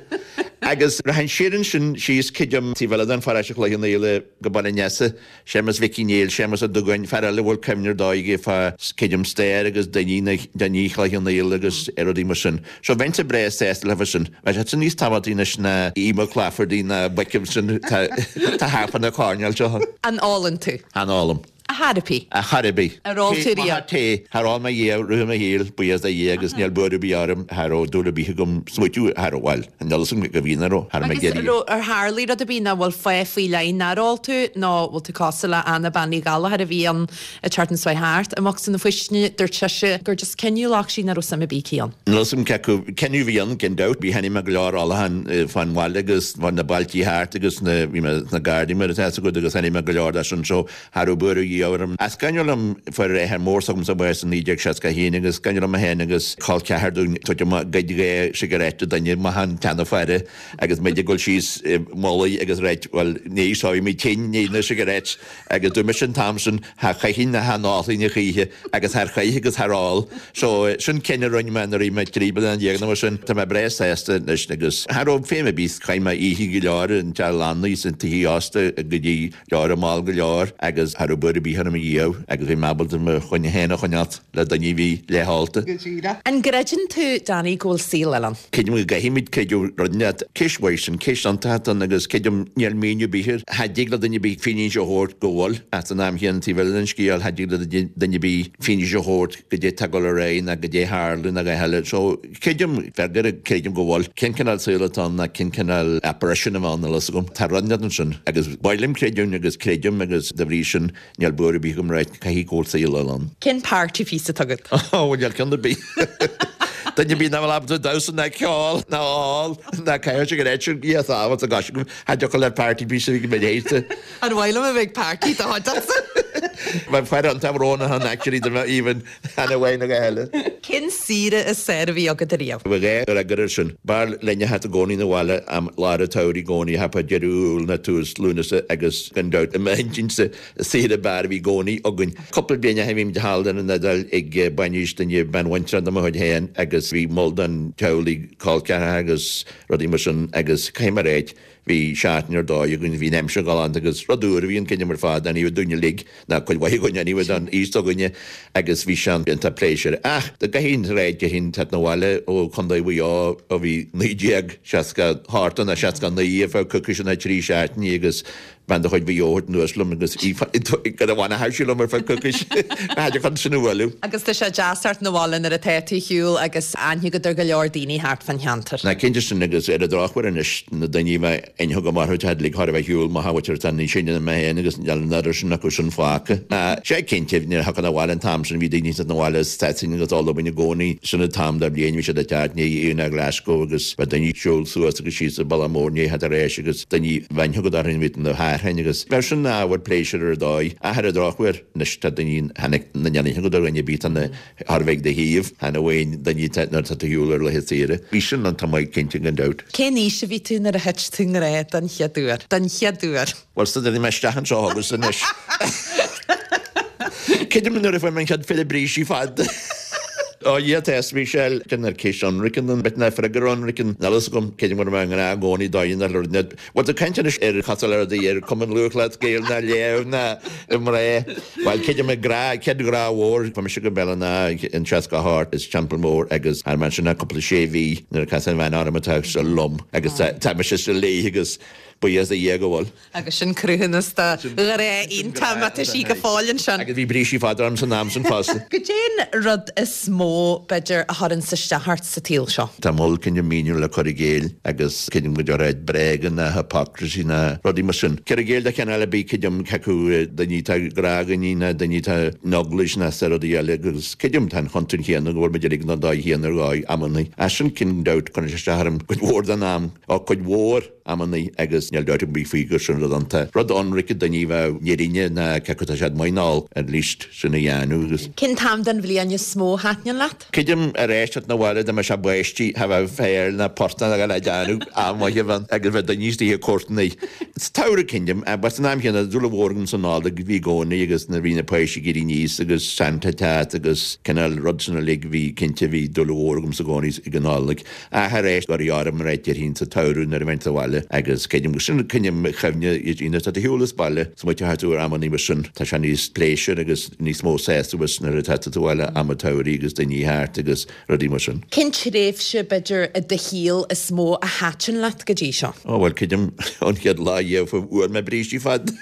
Agus rachainn siar ansin síos, creidim, taobh eile den pharóiste Chloich Cheann Fhaola go Baile an Easa, Séamus Mhicí Néill, Séamus Ó Dubhgáin, fear eile a bhfuil cuimhne ar dóigh aige fá creidim stair agus daoine na daoine Chloich Cheann Fhaola agus rudaí mar sin. So bheinnse breá sásta leofa sin. Bheadh siad sin níos tábhachtaí anois ná Aodh Mac Laifeartaigh ná boic sin tá thart fá na coirnéil seo. An ólann tú? Chan ólaim. A chor ar bith. A chor ar bith. Ar ól tú riamh? Tae. Char ól mé riamh i rith mo shaoil, buíochas do Dhia, agus níl buaireamh ar bith orm, cha raibh dúil ar bith agam smaoitiú cha raibh, bhuel, níl fhios agam go bhí ná raibh, cha raibh mé ag Agus iarraidh. raibh, ar tharlaigh rud ar bith nó bhfuil fáth faoi leith nár ól tú nó bhfuil tú cosúil le Anna Bean Uí Ghallchóir a bhí ann an tseachtain seo thart i mBocsa na Faoistine, dúirt sise gur just cinneadh a ghlac sí nach raibh suim ar bith aici ann. Níl fhios agam cé acu cinneadh a bhí ann, gan dabht. Bhí tháinig mé go leor olachán fán bhaile agus fán na bailtí thart agus na, bhí mé sna Gardaí mar atá fhios agat agus tháinig mé go leor de sin so Cha raibh buaireamh riamh orm. Is cuimhin liom fuair athair mór s'agamsa bás i 1961 agus is cuimhin liom mé féin agus col ceathar dúinn tabhairt amach goid dhá sigaréit duine amach an teach na faire agus muid ag dul síos i mullaigh agus ráit bhuel ní sóidh tinn ní na sigaréit agus dúirt mise an t-am sin cha chaithfinn ná cha n-ólfainn a choíche agus char chaith agus char ól. So sin cinneadh a rinne mé nuair a bhí mé 13 bliana nó mar sin. Tá mé breá sásta anois agus cha raibh feidhm ar bith chaith mé oíche go leor in teach lannaí is in tithe ósta go dtí leor mall go leor agus cha raibh buaireamh ar bith orm riamh agus bhí mé ábalta mo choinne féin a choinneáilt le duine a bhí leath-ólta. Go díreach. An gcreideann tú, Danny, go bhfuil saol eile ann? Creidim go gcaithfimid creideamh rud inteacht. Ceist mhaith sin, ceist iontach atá ann agus creidim níl míniú ar bith air. Cha dtig le duine ar bith fianaise a thabhairt go bhfuil, ach san am chéanna taobh eile den scéal cha dtig le duine ar bith fianaise a thabhairt goidé tá ag dul ar aghaidh ná goidé tharla ná a dhath eile. So, creidim, b'fhéidir, creidim go bhfuil. Cén cineál saol atá ann ná cén cineál apparition a bheadh ann, níl fhios agam. Tá rud inteacht ansin agus ba mhaith liom creidiúint agus creidim agus dá bhrí sin níl buaireamh ar bith agam right, caithfidh go bhfuil saol eile ann. Cén party piece atá agat? Ó, bhuel níl ceann ar bith. Duine ar bith nach bhfuil ábalta damhsa ná ceol ná ól ná caitheamh sigaréid sin, yes, ábalta gach cha dtiocfadh le party piece a bhí go mbeidh éiste. Ar mhaith liom a bheith ag party do chuideachta? Bheadh fear an t-amhrán ann actually do bheadh even Hannah Wayne agus eile. Cén saoire is fearr a bhí agat ariamh? Bheadh dhá fhreagra air sin. B'fhearr linn a theacht i gcónaí 'na bhaile am lár an tsamhraidh i gcónaí, thapa deireadh Iúil ná tús Lúnasa agus gan dabht i m'intinnse saoire b'fhearr a bhí i gcónaí againn. Cúpla bliain ó shin bhí muid thall ar an Iodáil ag bainis duine bean bhaintreach de mo chuid féin agus bhí moll den teaghlaigh col ceathracha agus rudaí mar sin agus caithfidh mé a ráit Bhí seachtain ar dóigh againn, bhí an aimsir galánta agus rud úr a bhí ann creidim ar fad, anyway dúinn uilig, ná cuid mhaith againn anyway don aois s'againne agus bhí sé iontach pléisiúr. Ach dá gcaithfinn a ráit déarfainn teacht 'na bhaile ó Chontae Mhaigh Eo ó bhí 1968 nó 69 ar feadh coicíse nó trí seachtainí agus. bean de chuid Mhaigh Eo a theacht anuas liom agus í go raibh ana-thaibhsí liom ar feadh coicís. Tháinig chun sin a bhualadh. Agus tá sé deas theacht 'na bhaile nuair atá tú ar shiúl agus aithne agat ar go leor daoine thart fán cheantar. Ná cinnte sin agus ar an drochuair anois na daoine a bheith aithne agam orthu tá uilig chóir a bheith ar shiúl má shamhailtear tá níos sine ná mé féin agus níl an oiread sin acu sin fágtha. Sea cinnte nuair a thiocfainn abhaile an t-am sin bhí daoine ag teacht abhaile as Sasana agus Albain i gcónaí sin an t-am den bhliain bhí siad ag teacht i ndiaidh Glasgow agus bheadh daoine ag siúl suas agus síos an bealach mór i ndiaidh theacht ar ais agus daoine a bheadh aithne agat orthu bhí na hairtheáin agus bheadh sin ina ábhar pléisiúir ar dóigh ach ar an drochuair anois tá daoine nach ndéanann aithne agat ar dhuine ar bith tá na chóir a bheith ag do thaobh, chan amháin duine atá nuair atá tú ar shiúl ar laetha saoire. Bhí sin iontach maith cinnte gan dabht. Cén aois a bhí tú nuair a thit tú i ngrá don chéad uair? Don chéad uair. Bhuel, stadfaidh mé isteach anseo agatsa anois. Creidim nuair a fuair mé an chéad phéire brístí fada. Ó Dhia tá a Mhichelle, cén ar ceist ionraic an bit ná freagra ionraic an Níl a fhios agam, creidim go raibh mé i ngrá i gcónaí dóigh nach raibh Bhuel, tá caint anois ar chosúil le rudaí ar Cumann Lúthchleas Gael ná léamh ná i mbrá. Bhuel, creidim i grá, chéad ghrá mhór, chuaigh mise go Béal an Átha in 68 is Teampall Mór agus thar mar sin cúpla sé mhí nuair a casadh an bhean orm atá still liom agus tá mise still léi agus buíochas do Dhia go bhfuil. Agus sin cruthúnas de ghrá iontach má tá sí go fóill ansin. Agus bhí brístí fada orm san am sin fosta. Goidé an rud is mó, b'fhéidir, a chuireanns isteach ort sa tsaol seo? Tá moll cineál míniú le cur i gcéill agus creidim go dtiocfadh bréaga ná hypocrisy ná rudaí mar sin. Cur i gcéill de chineál ar bith creidim cé acu duine atá ag grá dhaoine ná duine atá in eaglais ná sa rudaí eile agus creidim tá an chontúirt chéanna go bhfuil muid uilig na dóigh chéanna ar dhóigh amannaí. As sin gan dabht cuireann sé isteach orm cuid mhór den am, ó cuid mhór amannaí agus níl dabht ar bith faoi gur sin rud iontach, rud ionraic duine a bheith fhírinne ná cé acu tá siad maith nó olc, at least sin a dhéanamh agus. Cén t-am den bhliain is mó a thaitníonn leat? Creidim ar ais teacht 'na bhaile dá mbeadh sé báistí cha bheadh féar ná portán a le déanamh am maith a bheith ann agus bheadh duine istigh ag cuairteanna. Sa tsamhradh creidim, but san am chéanna dúil mhór agam sa Nollaig bhí i gcónaí agus nuair a bhí na páistí ag éirí aníos agus Santa ag teacht agus cineál rud sin uilig bhí cinnte bhí dúil mhór agam sa gcónaí ag an Nollaig. Ach ar ais go raibh orm reit déarfainn sa tsamhradh nuair a bheinn sa bhaile agus creidim go sin coinním mo chuimhne nuair atá tú ar shiúl as baile smaoiteoidh thart ar amannaí mar sin tá sé níos pléisiúr agus níos mó sásamh as nuair atá tú sa bhaile am an tsamhraidh agus daoine thart agus rudaí mar sin. Cén tréimhse b'fhéidir i do shaol is mó a thaitin leat go dtí seo? Ó bhuel creidim ón chéad lá riamh a fuair mé brístí fada.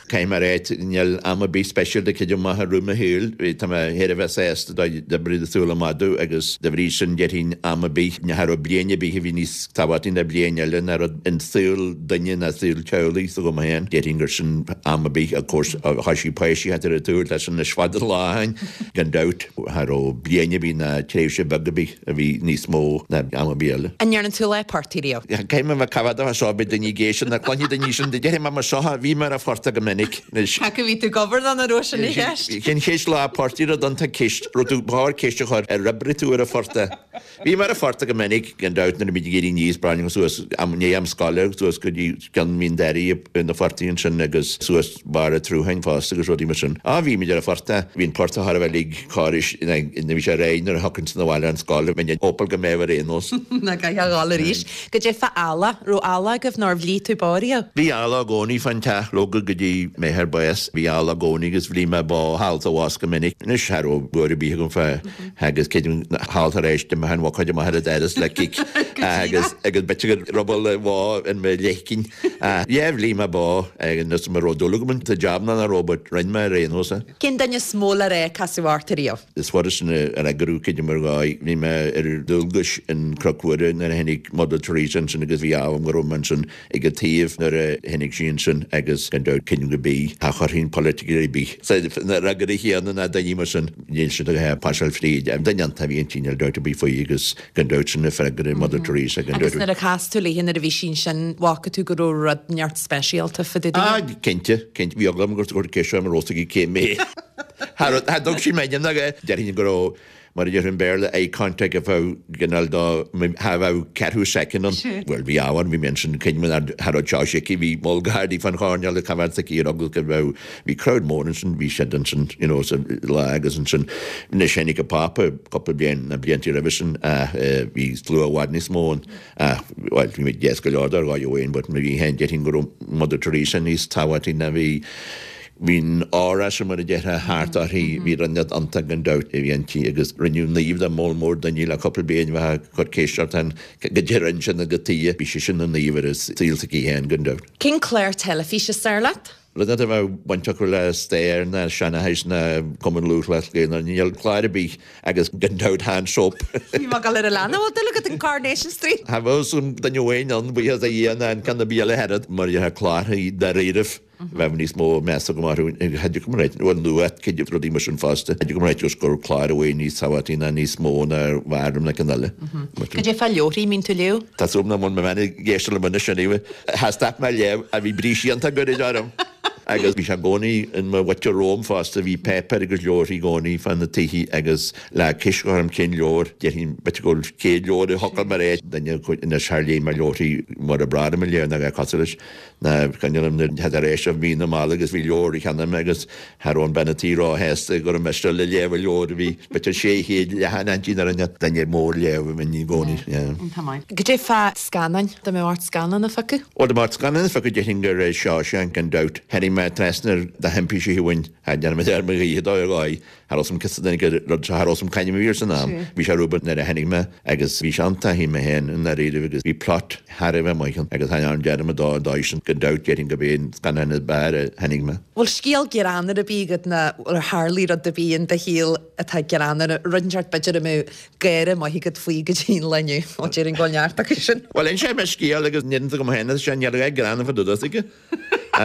Caithfidh mé a ráit, níl am ar bith speisialta creidim maith i rith mo shaoil. Tá mé thar a bheith sásta d'oibrigh do súil an madadh agus dá bhrí sin déarfainn am ar bith, ní raibh bliain ar bith a bhí níos tábhachtaí ná bliain eile ná rud in saol duine ná saol teaghlaigh s'agam féin. Déarfainn gur sin am ar bith, of course thoisigh páistí theacht ar an tsaol, tá sin anois fada an lá ó shin, gan dabht, cha raibh bliain ar bith ná tréimhse bheag ar bith. a bhí níos mó ná am ar bith eile. An ndearna tú lá portaigh riamh? Caithfidh mé bheith cá bhfad seo beidh daoine ag éisteacht na cluinfidh daoine sin déarfaidh mé mar seo bhí mé ar an phortach go minic anois. Cé acu bhí tú ag obair nó an raibh sin i gceist? Cén chéist lá portaigh rud iontach ceist raibh tú ba chóir ceist a chur ar oibrigh tú ar an phortach. Bhí mé ar an phortach go minic gan dabht nuair a bhí ag éirí aníos breathnaigh suas am i ndiaidh am scoile suas go dtí ceann Mhín Doire na phortaigh ansin agus suas barr an tSrutháin fosta agus rudaí mar sin. Á, bhí muid ar an phortach. Bhí an portach thar a bheith uilig córais ina bhí sé réidh nuair a thiocfainnse 'na bhaile ón scoil. Bheinn ag hópáil go mbeadh ar aon nós. Ná caithfeá a dhul arís. Goidé fá eallach? Raibh eallach agaibh nó ar bhligh tú bó riamh? Bhí eallach i gcónaí fán teach leoga go dtí mé ar bás. Bhí eallach i gcónaí agus bhligh mé bó thall is abhus go minic. Anois cha raibh buaireamh ar bith agam fá agus creidim thall tar éis di m'an bhocáid amach ar an doras le cic agus agus b'fhéidir gur ruball bhó in mo leithcinn. Yeah bhligh mé bó agus mura raibh dúil agam sa jab ná nach raibh but rinne mé ar aon nós é. Cén duine is mó le rá a casadh ort ariamh? Is furast sin a fhreagrú creidim ar dhóigh. Bhí mé ar dualgais in Cnoc Mhuire nuair a tháinig Mother Teresa ansin agus bhí ádh orm go raibh mé ansin ag a taobh nuair a tháinig sí ansin agus gan dabht creidim go b'í cha chuirfinn polaiticeoir ar bith sa fhreagra chéanna ná daoine mar sin níl siad ag pasáil fríd. Duine iontach a bhí inti níl dabht ar bith faoi agus gan dabht sin an freagra Mother Teresa gan dabht. Agus nuair a chas tú léi nuair a bhí sí ansin bhfaca tú go raibh rud inteacht speisialta fá dtaobh di? Ah cinnte, cinnte. Bhí eagla orm gur ceist orm an raibh a fhios aici cé mé. Cha dtug sí m'ainm ná déarfainn go raibh Mar a déarfá i mBéarla, eye contact a bheadh cineál dá cha bheadh ceathrú soicind ann. Bhuel, bhí ádh orm, bhí mé ansin, creidim cha raibh teach aici, bhí moll gardaí fán choirnéal ag coimeád aici ar eagla go raibh, bhí crowd mór ansin, bhí siad ansin, you know, sa lá agus ansin, anois tháinig an Pápa cúpla bliain, na blianta roimhe sin ach bhí slua i bhfad níos mó ann ach, bhuel, bhí muid deas go leor dár dhóigh amháin but bhí, déarfainn go raibh Mother Teresa níos tábhachtaí ná bhí. Bhí an aura sin mar a déarfá thart uirthi, bhí rud inteacht iontach gan dabht a bhí inti agus rinneadh naomh de moll mór daoine le cúpla bliain a bheith ag cur ceisteoireacht ann goidé a rinne sé nó cad tuige. Bhí sise ina naomh ar a saol s'aici féin gan dabht. Cén clár teilifíse is fearr leat? Rud inteacht a bheadh baint acu le stair ná seanchas ná Cumann Lúthchleas Gael ná níl clár ar bith agus gan dabht chan soap. Bhí mé ag dul ar an leanbh, bhfuil dúil agat in Coronation Street? Cha bhfuil 's agam duine amháin ann, buíochas do Dhia, ná an ceann ar bith eile oiread mar a déarfá clárthaí dáiríribh. Bheadh níos mó meas agam orthu. Cha dtig liom a ráit, bhuel nuacht, cuid rudaí mar sin fosta. Cha dtig liom a ráit go raibh clár amháin níos tábhachtaí ná níos mó ná b'fhearr liom ná ceann eile. Cad é fá leabharthaí, mbíonn tú ag léamh? Tá súil agam nach bhfuil mo bhean ag éisteacht liom anois anyway. Cha stop mé ag léamh ach bhí brístí iontach goirid orm. Agus bhí sé i gcónaí in mo mhuintir romham fosta, bhí páipéir agus leabharthaí i gcónaí fá na tithe agus le ceist a chur orm cén leabhar, déarfainn b'fhéidir go bhfuil 100 leabhar a thiocfadh mar é. Duine anois char léigh mé leabharthaí mar a b'fhearr liom a léamh ná a bheith cosúil leis. Ná coinne liom nuair a tar éis a bhí na mala agus bhí leabhar a cheannaigh mé agus cha raibh an bean a' tí róshásta go raibh mé still ag léamh an leabhair a bhí b'fhéidir 600 leathanach inti nuair a duine mór léamh a bhí i gcónaí, yeah. Iontach maith. Goidé fá scannáin, dá mbeadh ort scannán a phiocadh? Bhuel dá mbeadh ort scannán a phiocadh déarfainn gur Shawshank gan dabht. Tháinig mé trasna air do thimpeall sé uainn, cha dtearn mé dearmad oíche dó ar dhóigh. Cha raibh 's a'm ciosta duine gur rud cha raibh 's a'm c'ainm a bhí air san am. Bhí sé rúba nuair a tháinig mé agus bhí sé iontach shíl mé féin i ndáiríribh agus bhí plot thar a bheith maith ann agus tháinig orm dearmad dó an dóigh sin gan dabht déarfainn gurb é an scannán is fearr a chonaic mé. Bhfuil scéal greannmhar ar bith agat nó ar tharlaigh rud ar bith in do shaol atá greannmhar, rud inteacht b'fhéidir a mbeadh gáire maith agat faoi go dtí an lá inniu? Ó déarfainn go bhfuil neart acu sin. Bhuel inseoidh mé scéal agus níl 'fhios agam féin as sin, níl a dhath greannmhar fá dtaobh de.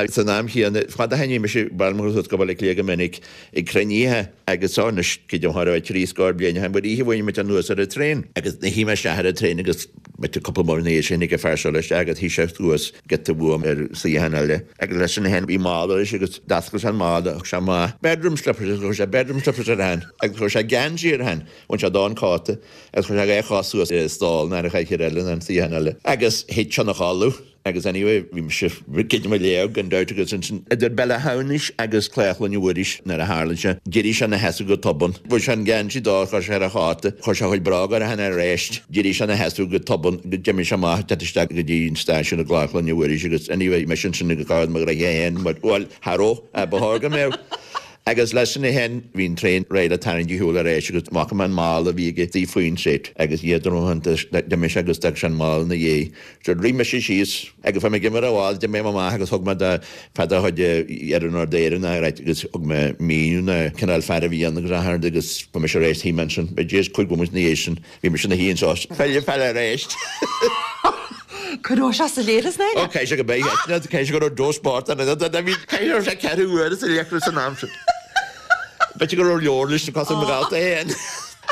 San am chéanna, fad a tháinig mise bail mo chuid go Baile Átha Cliath go minic ag cruinnithe agus so anois creidim thar a bheith 30 bliain ó shin, but oíche amháin muid anuas ar an traein agus shuigh mé isteach ar an traein agus b'fhéidir cúpla móimint ina dhiaidh sin tháinig an fear seo isteach agus shuigh sé thuas giota uaim ar suíochán eile agus leis sin féin bhí mála leis agus d'oscail sé an mála thug sé amach bedroom slippers agus chuir sé bedroom slippers air féin agus chuir sé geansaí air féin bhain sé dó an cóta agus chuir sé a dhá chos suas ar an stól ná ar an chathaoir eile ná an suíochán eile agus thit sé ina chodladh. Agus anyway, bhí mise ag mo léamh gan dabht agus ansin idir Béal Átha hAmhnais agus Cladach Chluain Mhuiris nuair a tharla sé, d'éirigh sé ina sheasamh go tobann. Bhain sé an geansaí dó, chuir sé ar a chóta, chuir sé a chuid bróg air féin aríst, d'éirigh sé ina sheasamh go tobann, d'imigh sé amach, thit isteach go dtí an stáisiún i gCladach Chluain Mhuiris agus anyway, mise ansin ag gabháil mo ghnoithe féin mar, bhuel, cha raibh, ba chóir go mbeadh. Agus leis sin féin, bhí an traein réidh le tarraingt ar shiúl aréis agus bhfaca mé an mála a bhí aige istigh faoin seat agus iad romhainn, d'imigh sé agus d'fhág sé an mála ina dhiaidh. So rith mise síos agus bhí mé ag imeacht abhaile, d'imigh mé amach agus thug mé do fear de chuid Iarnród Éireann é, right, agus thug mé míniú na cineál fear a bhí ann agus athair agus bhí mise aréis, shuigh mé ansin, b'fhéidir 5 bhomaite ina dhiaidh sin, bhí mise ina shuí anseo, file file aréis. Cá raibh sé sa leithreas ná? Ó, caithfidh sé go beidh, caithfidh sé go raibh dós spórt ann, bhí, caithfidh go raibh sé ceathrú uaire sa leithreas san am sin. B'fhéidir go raibh leabhar leis na cosa mo dhalta féin.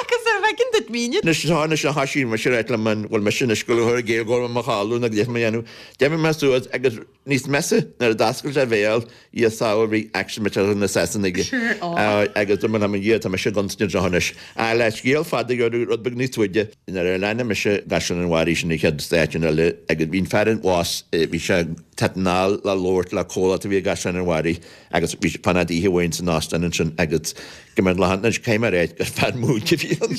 Agus arbh éigean duit míniú? Anois tá anois a thoisí mise ag ráit liom an bhfuil mise anois go luath ag éagóir mo chodladh nó goidé mo dhéanamh. D'imigh mé suas agus níos measa nuair a d'oscail sé a bhéal Dhia sábháil bhí accent millteach na Sasana aige agus dúirt mé liom a Dhia tá mise i gconstaic anseo anois. Ach le scéal fada a ghiorrú rud beag níos faide nuair a lean mise gCaisleán an Bharraigh sin an chéad stáisiún eile agus bhí an fear an bhus bhí sé ag teacht anall le labhairt le comhlacht a bhí i gCaisleán an Bharraigh agus bhí sé fanacht oíche amháin san óstán ansin agus go mbeadh lá anois caithfidh mé a ráit gur fear múinte a bhí ann.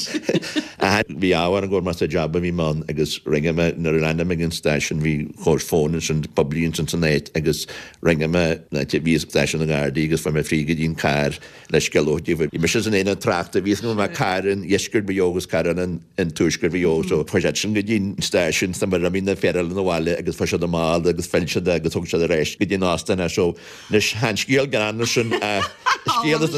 Ach bhí ábhar an go raibh mé sa jab a bhí mé ann agus rinne mé nuair a lean mé ag an stáisiún bhí córas fóin ansin poiblí ansin san áit agus rinne mé na bhí stáisiún na nGardaí agus fuair mé fríd go dtí an carr le scéal a thabhairt. Bhí mise san aon trácht a bhí go mbeadh carr an dheiscirt ba eo agus carr an tuaiscirt ba eo so fuair siad sin go dtí an stáisiún sa mar a bhí na fir eile 'na bhaile agus fuair siad a mála agus phill siad agus thug siad ar ais go dtí an óstán é so Anois, chan scéal greannmhar sin, scéal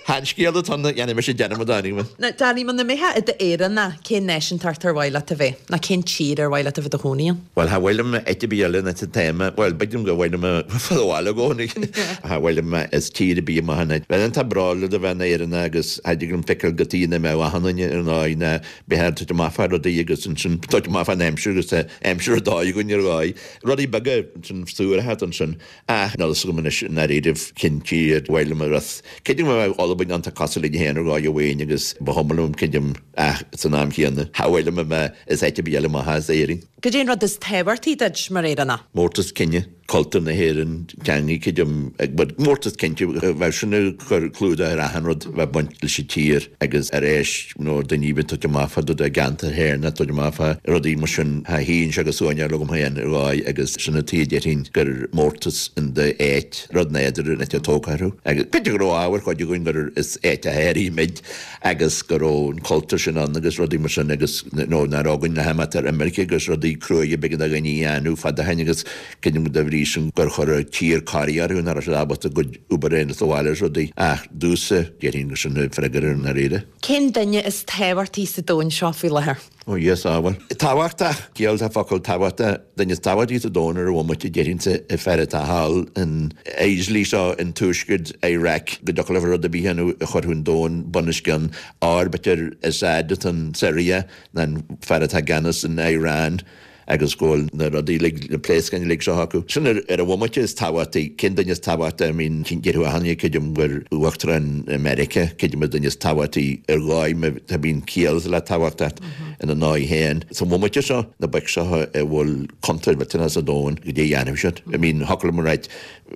chan scéal atá ann, dhéanfaidh mise dearmad air, anyway. Now, Danny, muna mbeifeá i d'Éireannach, cén náisiúntacht ar mhaith leat a bheith? Nó cén tír ar mhaith leat a bheith i do chónaí ann? Bhuel, cha mhaith liom áit ar bith eile ná tá mé, bhuel, b'fhéidir gur mhaith liom a bheith abhaile i gcónaí. Cha mhaith liom as tír ar bith amach ann. Bheinn iontach bródúil de bheith in Éireannach agus cha dtig liom feiceáil cad tuige nach mbeadh achan duine ar ndóigh ná bheith ag tabhairt amach fá rudaí agus ansin tabhairt amach fán aimsir agus tá aimsir ar dóigh againn ar dhóigh. Rudaí beaga ansin suarach ansin. Ach níl fhios agam anois i ndáiríribh cén tír ar mhaith liom a rith. Creidim go mbeadh Albain iontach cosúil linn féin ar dhóigh amháin agus ba chuma liom creidim ach san am chéanna cha mhaith liom a bheith as áit ar bith eile amach as Éirinn. Cad é an rud is tábhachtaí duit mar Éireannach? Mórtas cine. Cultúr na hÉireann, teangaidh, creidim, but mórtas cinnte, bheadh sin ag cur clúdach ar achan rud a bheadh baint leis an tír agus ar éis nó duine a bheith tabhairt amach fá dtaobh de gceantar féin ná tabhairt amach fá rudaí mar sin, tha shuíonn sé go suaimhneach agam féin ar dhóigh agus sin an taobh déarfainn gur mórtas in d'áit, rud nádúrtha an áit a tógtha orthu. Agus b'fhéidir go raibh ábhar chuid againn gur as áit a éirigh muid agus go raibh an cultúr sin ann agus rudaí mar sin agus nó nach raibh againn le himeacht ar imirce agus rudaí cruaidhe b'éigean do dhaoine a dhéanamh fad ó shin agus creidim dá bhrí sin gur chuir an tír corraí orthu nach raibh siad ábalta a gcuid obair a dhéanamh sa bhaile agus rudaí ach domhsa déarfainn gur sin an freagra i ndáiríre. Cén duine is tábhachtaí sa domhan seo faoi láthair? Ó Dhia sábháil. Tábhachtach, ciall tá focal tábhachtach, duine is tábhachtaí sa domhan ar an bhomaite déarfainnse an fear atá thall in ISIL seo in tuaisceart Iraq go dtiocfadh leofa rud ar bith a dhéanamh a chuirfeadh an domhan bunoscionn or b'fhéidir Assad atá in Syria ná an fear atá i gceannas in Iran agus go bhfuil na rudaí uilig, na pléascáin uilig seo acu. Sin ar an bhomaite is tábhachtaí. Cén duine is tábhachtaí? I mean, déarfadh achan duine, creidim, gur Uachtarán Meiriceá, creidim, an duine is tábhachtaí ar dhóigh, má tá bíonn ciall le tábhachtacht ina ndóigh féin. Sa bhomaite seo, na boic seo a bhfuil contúirt mhillteanach sa domhan, goidé a dhéanfaidh siad? I mean, thiocfadh liom a ráit,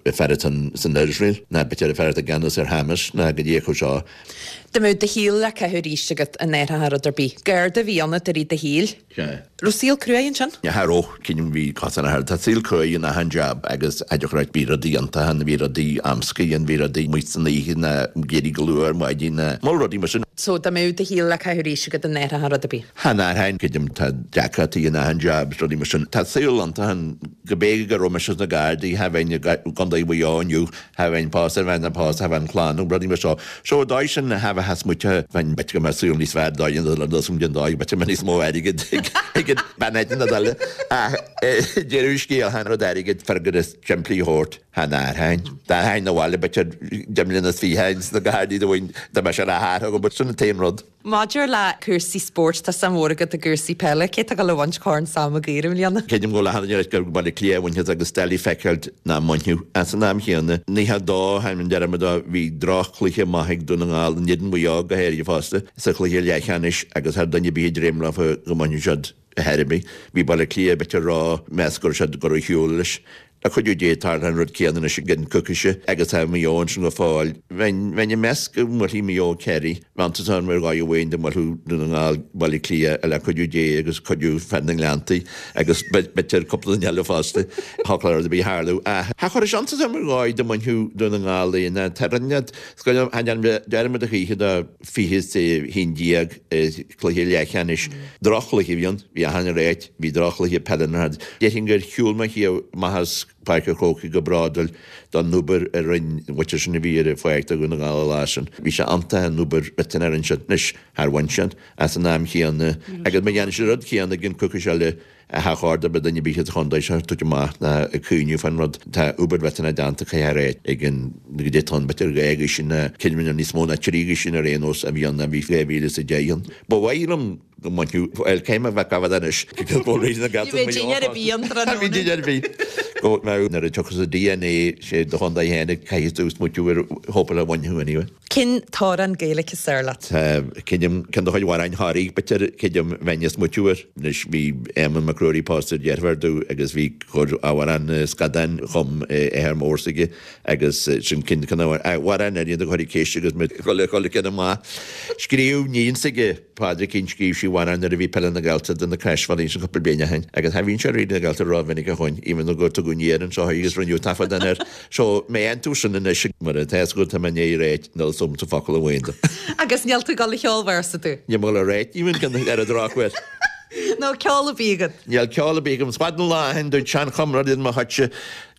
an fear atá san Iosrael, ná b'fhéidir an fear atá i gceannas ar Hamas, ná goidé acu seo. Dá mbeadh do shaol le caitheamh arís agat, an athrófá rud ar bith? Garda a bhí ionat i rith do shaoil. Sea. Raibh saol cruaidh ansin? Cha raibh, creidim bhí cosán thar. Tá saol cruaidh in achan jab agus a dtiocfadh leat bhí rudaí iontacha ann, bhí rudaí amscaí ann, bhí rudaí amuigh san oíche ná ag éirí go luath ar maidin ná moll rudaí mar sin. So dá mbeadh do shaol le caitheamh arís agat an athrófá rud ar bith? Cha n-athróinn, creidim tá deacrachtaí in achan jab is rudaí mar sin. Tá saol iontach ann, go b'fhéidir go raibh mise sna Gardaí, cha bheinn i gContae Mhaigh Eo inniu, Cha bheinn pósta, bheinn an pósta, cha bheinn clann nó rudaí mar seo. So an dóigh sin cha bheadh smaointe bheinn b'fhéidir go mbeadh saol níos fearr dóigh an dul an den dóigh b'fhéidir mbeadh níos mó airgid ag an bean éigin nó eile. Ach deireadh scéal chan rud airgid freagra simplí a thabhairt cha n-athróinn. D'athróinn na bhaile b'fhéidir 20 mbliana is 20 sna Gardaí do bhain dá mbeadh sé le hathrú agam but sin an t-aon rud. Maidir le cúrsaí spóirt, tá suim mhór agat i gcúrsaí peile. Cé atá ag dul a bhaint Corn Sam Maguire i mbliana? Creidim go bhfuil achan duine ag rá gur Baile Átha Cliath a bhainfeas agus doiligh feiceáilt nach mbainfeadh. Ach san am chéanna, ní hea dó, tháinig an dearmad dó, bhí droch-chluiche maith ag Dún na Ngall in éadan Mhaigh Eo go háirithe fosta, sa chluiche leathcheannais agus thar duine ar bith ag dréim leofa go mbainfeadh siad a thairbhe. Bhí Baile Átha Cliath b'fhéidir ró-mheas go raibh siad ag dul ar shiúl leis. Le cuidiú Dé tarlóidh an rud céanna anois i gceann coicíse agus tá Maigh Eo ansin go fóill. Bheinn ag meas go mbuailfidh Maigh Eo Kerry. Bheadh iontas orm ar dhóigh amháin dá mbuailfeadh Dún na nGall Baile Átha Cliath le cuidiú Dé agus cuidiú fear na nGleanntaí agus b'fhéidir cúpla duine eile fosta. Thiocfadh le rud ar bith a tharlú. Ach cha chuirfeadh sé iontas orm ar dhóigh dá mbainfeadh Dún na nGall é ná tá rinnead scoil chan dearmad a choíche do 20 is 11 i gcluiche leathcheannais. Droch-chluiche a bhí ann. Bhí achan réit. Bhí droch-chluiche peile ann ar fad. Déarfainn gur shiúil mé thiar amach as Páirc an Chrócaigh go bródúil don obair a rinne an mhuintir sin a bhí ar an pháirc do Dhún na nGall an lá sin. Bhí sé iontach an obair mhillteanach a rinne siad. Anois, char bhain siad as an am chéanna agus má dhéanann siad an rud céanna i gcionn coicís eile, Cha chóir do duine ar bith sa chontae seo tabhairt amach ná ag cuimhneamh fán rud. Tá obair mhillteanach déanta caithfidh a rá ag an goidé atá ann, b'fhéidir 2 dhuisín ná creidim níos mó ná 3 dhuisín ar aon nós a bhí ann a bhí 2010 ann. Ba mhaith liom go mbainfeadh, bhuel caithfidh mé a bheith ag gabháil anois go bhfuil Rí na Gaeltachta Ní bheidh duine ar bith ann tráthnóna. Ní bheidh duine ar bith. Go mbeadh nuair a tiocfas an DNA sé do chontae féin caithfidh tú smaoitiú ar chóipeáil a bhainfeadh anyway. Cén t-amhrán Gaeilge is fearr leat? Creidim, ceann de chuid amhráin Thoraí, b'fhéidir, creidim, bheinn ag smaoitiú air. Anois, bhí Éamonn Mac Ruairí pósta ar dheirfiúr domh agus bhí cuid amhrán na Scadán chum athair mór s'aige agus sin ceann de na hamhráin eile a chuir ceist agus mé ag dul ag dul amach. Scríobh níon s'aige, Pádraigín, scríobh sí amhrán nuair a bhí Peile na Gaeltachta na Croisbhealaí ansin cúpla bliain ó shin agus tha bhíonn sé Raidió na Gaeltachta rómhinic ó shoin, even though gur tugadh aniar anseo í agus rinneadh taifeadán air. So, má fhaigheann tú sin anois, mar atá fhios agat, tá mé i ndiaidh ráit, níl fhios agamsa focal amháin de. Agus níl tú ag dul a cheol véarsa dúinn? Níl mé ag dul a ráit even ar an drochuair. Nó ceol ar bith agat? Níl ceol ar bith agam. Squad na lá ó shin, dúirt seanchomrádaí de mo chuidse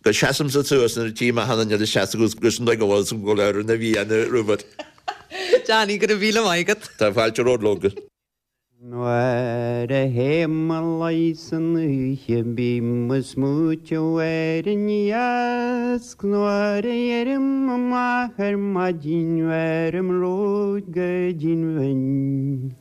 go seasaimse suas nuair a tchím achan duine eile ag seasamh agus sin dóigh go bhfuil fhios agam go bhfuil amhrán a bhí ann romhat. Johnny, go raibh míle maith agat. Tá fáilte romhat, leoga. Nuair a théim a luí san oíche bím ag smaoitiú ar an iasc Nuair a éirim amach ar maidin bheirim romhat go dtí'n bhinn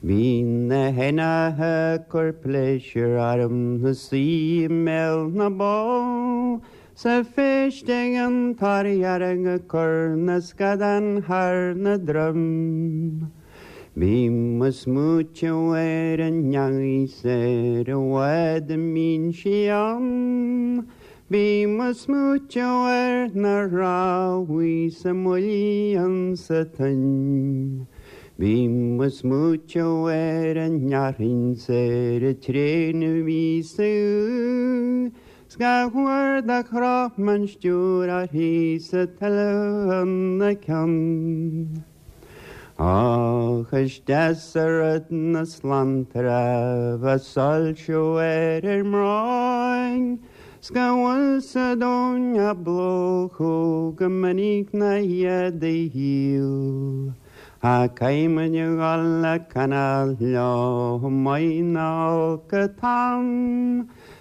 Bíonn na héanacha ag cur pléisiúr orm 'na suí i mbéal na bpoll 'S a phéist ag an toirdhearg ag cur na scadán thar na droim. Bím ag smaoitiú ar an eangaí 's ar an bhád a mbíonn sí ann. Bím a' smaoiteamh ar na rámhaí 's a mbuillí insa toinn. Bím a' smaoiteamh ar an fhearthainn 's ar an traein a bhí sa ghaoth 's gach uair do chroith mé an stiúir uirthi 's an tuile ina cionn. Ach is deas an rud na slánta a bheith ag soilsiú ar ár mbroinn 's gan bhfuil sa domhan a plúchadh go minic ná iad a shíol. Ach caithfidh muid a dhul ag coinneáil leo maith nó olc an t-am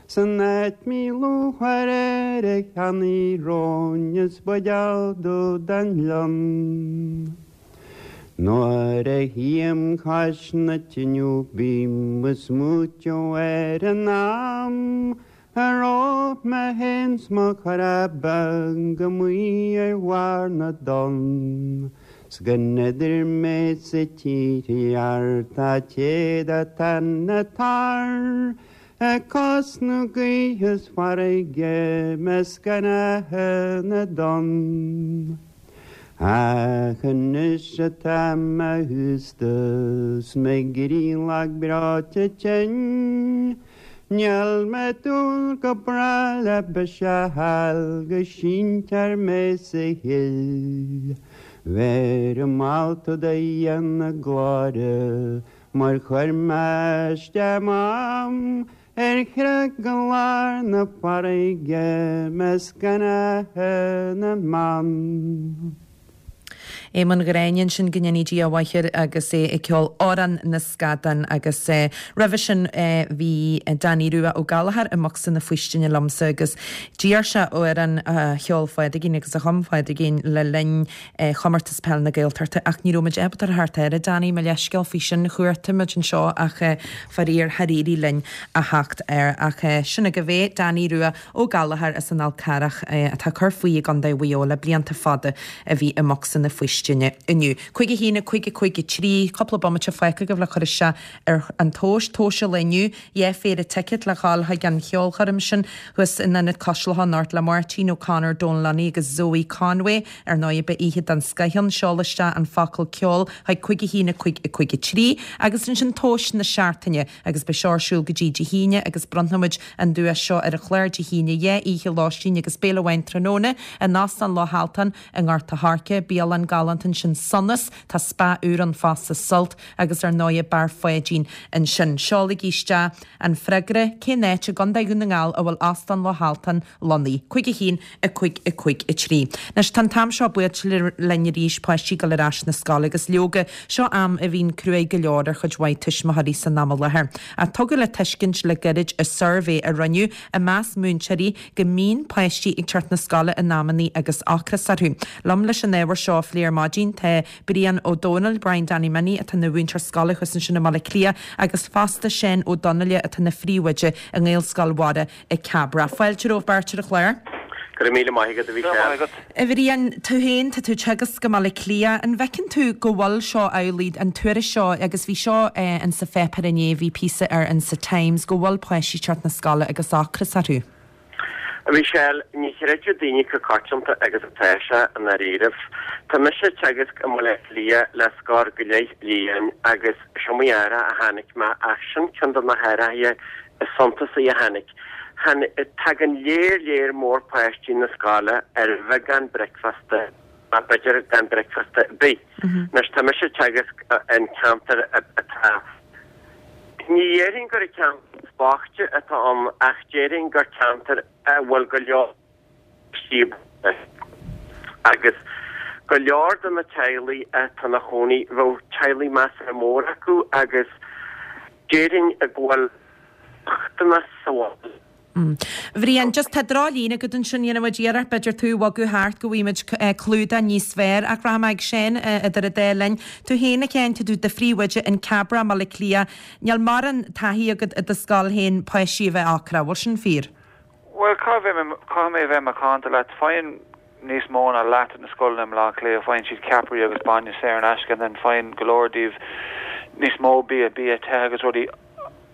San áit mbíodh lúcháir ar a cheannaigh róin is buidéal dubh den ghleann. Nuair a shuím cois na tineadh bím a' smaoiteamh ar an am a raibh mé féin 's mo chara beag amuigh ar bharr na dtonn 's gan idir mé 's an tír tá téad atá na tar Ag cos na gaoithe is farraige i measc na dtonn. Ach anois atá mé aosta 's mé ag éirí lag breoite tinn, níl mé ag dúil go bráth le biseach a fháil go síntear mé sa chill. Bheirim altú do Dhia na glóire Mar chuir mé isteach m'am ar chreag i lár na farraige i measc na mban. Éamonn Ghráinne ansin, go ndéanaí Dia a mhaith air agus é ag ceol Amhrán na Scadán agus roimhe sin bhí Danny Rua Ó Gallchóir i mbocsa na faoistine liomsa agus d'iarr sé amhrán a cheol Phádraigín agus a chum Pádraigín le linn Chomórtas Peile na Gaeltachta ach ní raibh muid ábalta a theacht air, a Danny, mo leithscéal faoi sin, chuartaigh muid anseo ach faraor char éirigh linn a theacht air. Ach sin agaibh é, Danny Rua Ó Gallchóir as an Fhál Carrach atá ag cur faoi i gContae Mhaigh Eo le blianta fada a bhí i mbocsa na faoistine inniu. 5 1 5 5 3, cúpla bomaite fágtha agaibh le cur isteach ar an tomhas, tomhas an lae inniu, 2 phéire ticéad le dhul chuig an cheolchoirm sin thuas in Ionad Cois Locha anocht le Máirtín O'Connor, Donal Lunny agus Zoe Conway. Ar ndóigh, beidh oíche den scoith ann. Seol isteach an focal 'ceol' chuig 5 1 5 5 3 agus ansin tomhas na seachtaine agus beidh seo ar siúl go dtí Dé hAoine agus bronnfaidh muid an duais seo ar an chlár Dé hAoine, 2 oíche lóistín agus béile amháin tráthnóna in Óstán Loch Altan i nGort a' Choirce, bialann galánta ansin Sonas, tá spa úr ann fosta Sult agus ar ndóigh Beár Pháidín ansin. Seolaigí isteach an freagra, cén áit i gContae Dhún na nGall a bhfuil Óstán Loch Altan lonnaithe? 5 1 5 5 3. Anois tá an t-am seo buailte linn arís, páistí ag dul ar ais na scoile agus leoga, seo am a bhíonn cruaidh go leor ar chuid mhaith tuismitheoirí san am i láthair. Ach tugadh le tuiscint le gairid i suirbhé a rinneadh i measc múinteoirí go mbíonn páistí ag teacht na scoile in amannaí agus ocras orthu. Liom leis an ábhar seo a phlé ar maidin tá Brian Ó Domhnaill, Brian Danny Minnie, atá ina mhúinteoir scoile thuas ansin i mBaile Átha Cliath agus fosta Seán Ó Donnaile atá ina phríomhoide i nGaelscoil Mhuire i Cabrach. Fáilte romhaibh beirt ar an chlár. Go raibh míle maith agat, a Mhichelle. A Bhriain, tú féin, tá tú ag teagasc i mBaile Átha Cliath. An bhfeiceann tú go bhfuil seo amhlaidh, an tuairisc seo, agus bhí seo insa pháipéar inné, bhí píosa air insa Times, go bhfuil páistí ag teacht na scoile agus ocras orthu? A Mhichelle, ní chreidfeadh daoine chomh coitianta agus atá sé i ndáiríribh. Tá mise ag teagasc i mBaile Átha Cliath le scór go leith bliain agus is iomaí athrach a chonaic mé ach sin ceann de na hathruithe is suntasaí a tháinig. Tagann léar léar mór páistí na scoile ar bheagán bricfeasta, nó b'fhéidir gan bricfeasta ar bith. Anois tá mise ag teagasc in ceantar atá, ní dhéarfainn gur an ceantar is boichte atá ann ach déarfainn gur ceantar a bhfuil go leor Agus go leor de na teaghlaigh atá ina chónaí, bheadh teaghlaigh measartha mór acu agus déarfainn go bhfuil bochtanas sa bhaile. Bhriain, just tá drochlíne agat ansin, dhéanfaidh muid iarracht b'fhéidir tú a bhogadh thart go bhfaighidh muid clúdach níos fearr ach rachaidh mé ag Seán idir an dá linn. Tú féin a Sheáin, tá tú i do phríomhoide in Cabrach i mBaile Átha Cliath. Níl mórán taithí agat i do scoil féin páistí a bheith ocrach, bhfuil sin fíor? Bhuel, caithfidh mé a bheith macánta leat. Faigheann níos mó ná leath de na scoileanna i mBaile Átha Cliath, faigheann siad ceapairí agus bainne saor in aisce and then faigheann go leor díobh níos mó bia, bia te agus rudaí.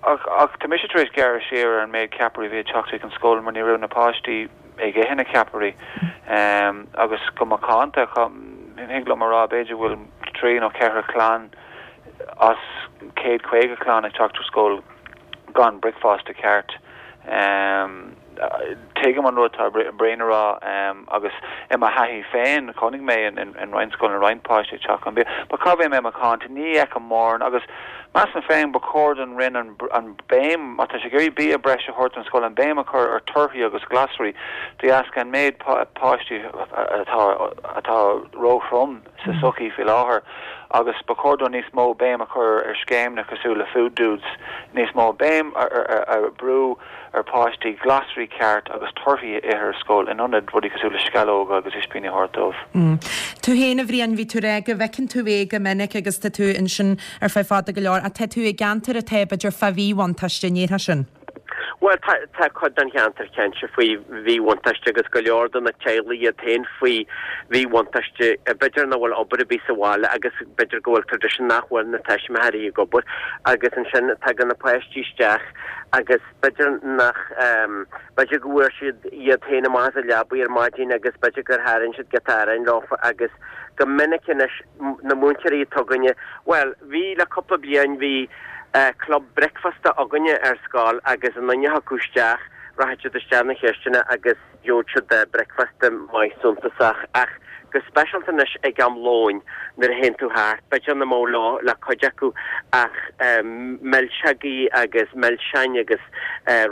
Ach, ach tá mise tar éis gearradh siar ar an méid ceapairí a bhí ag teacht chuig an scoil mar ní raibh na páistí. ag ithe na ceapairí agus go macánta thig liom a rá b'fhéidir go bhfuil 3 nó 4 chlann as 150 clann ag teacht ar scoil gan bricfeasta ceart. Tuigim an rud atá Brian a rá agus i mo thaithí féin, chonaic mé in roinnt scoileanna roinnt páistí ag teacht gan bia. But caithfidh mé macánta, ní fheicim mórán agus measaim féin ba chóir don Roinn an béim, má tá sé ag iarraidh bia breise a thabhairt don scoil, an béim a chur ar torthaí agus glasraí de dheasca an méid páistí atá atá róthrom. sa sochaí faoi láthair agus ba chóir dó níos mó béim a chur ar scéimeanna cosúil le Food Dudes, níos mó béim a brú ar páistí glasraí ceart agus torthaí a ithe ar scoil in ionad rudaí cosúil le sceallóga agus ispíní a thabhairt dóibh. Tú féin, a Bhriain, bhí tú ag rá go bhfeiceann tú é go minic agus tá tú ansin ar feadh fada go leor ach tá tú i gceantar atá b'fhéidir fá mhíbhuntáiste, an ndéarfá sin? Bhuel, tá, tá cuid den cheantar cinnte faoi mhíbhuntáiste agus go leor de na teaghlaigh iad féin faoi mhíbhuntáiste. B'fhéidir nach bhfuil obair ar bith sa bhaile agus b'fhéidir go bhfuil traidisiún nach bhfuil na tuismitheoirí ag obair agus ansin tagann na páistí isteach agus b'fhéidir nach, b'fhéidir go bhfuair siad iad féin amach as a leabaidh ar maidin agus b'fhéidir gur tharraing siad giota aráin leofa agus go minic anois na múinteoirí atá againne, bhuel, bhí le cúpla bliain, bhí club bricfeasta againne ar scoil agus an duine a thiocfadh isteach, rachadh siad isteach na chistineach agus gheobhadh siad bricfeasta maith suntasach ach go speisialta anois ag am lóin nuair a théann tú thart, b'fhéidir nach mbeadh leo le cuid acu ach milseogaí agus milseáin agus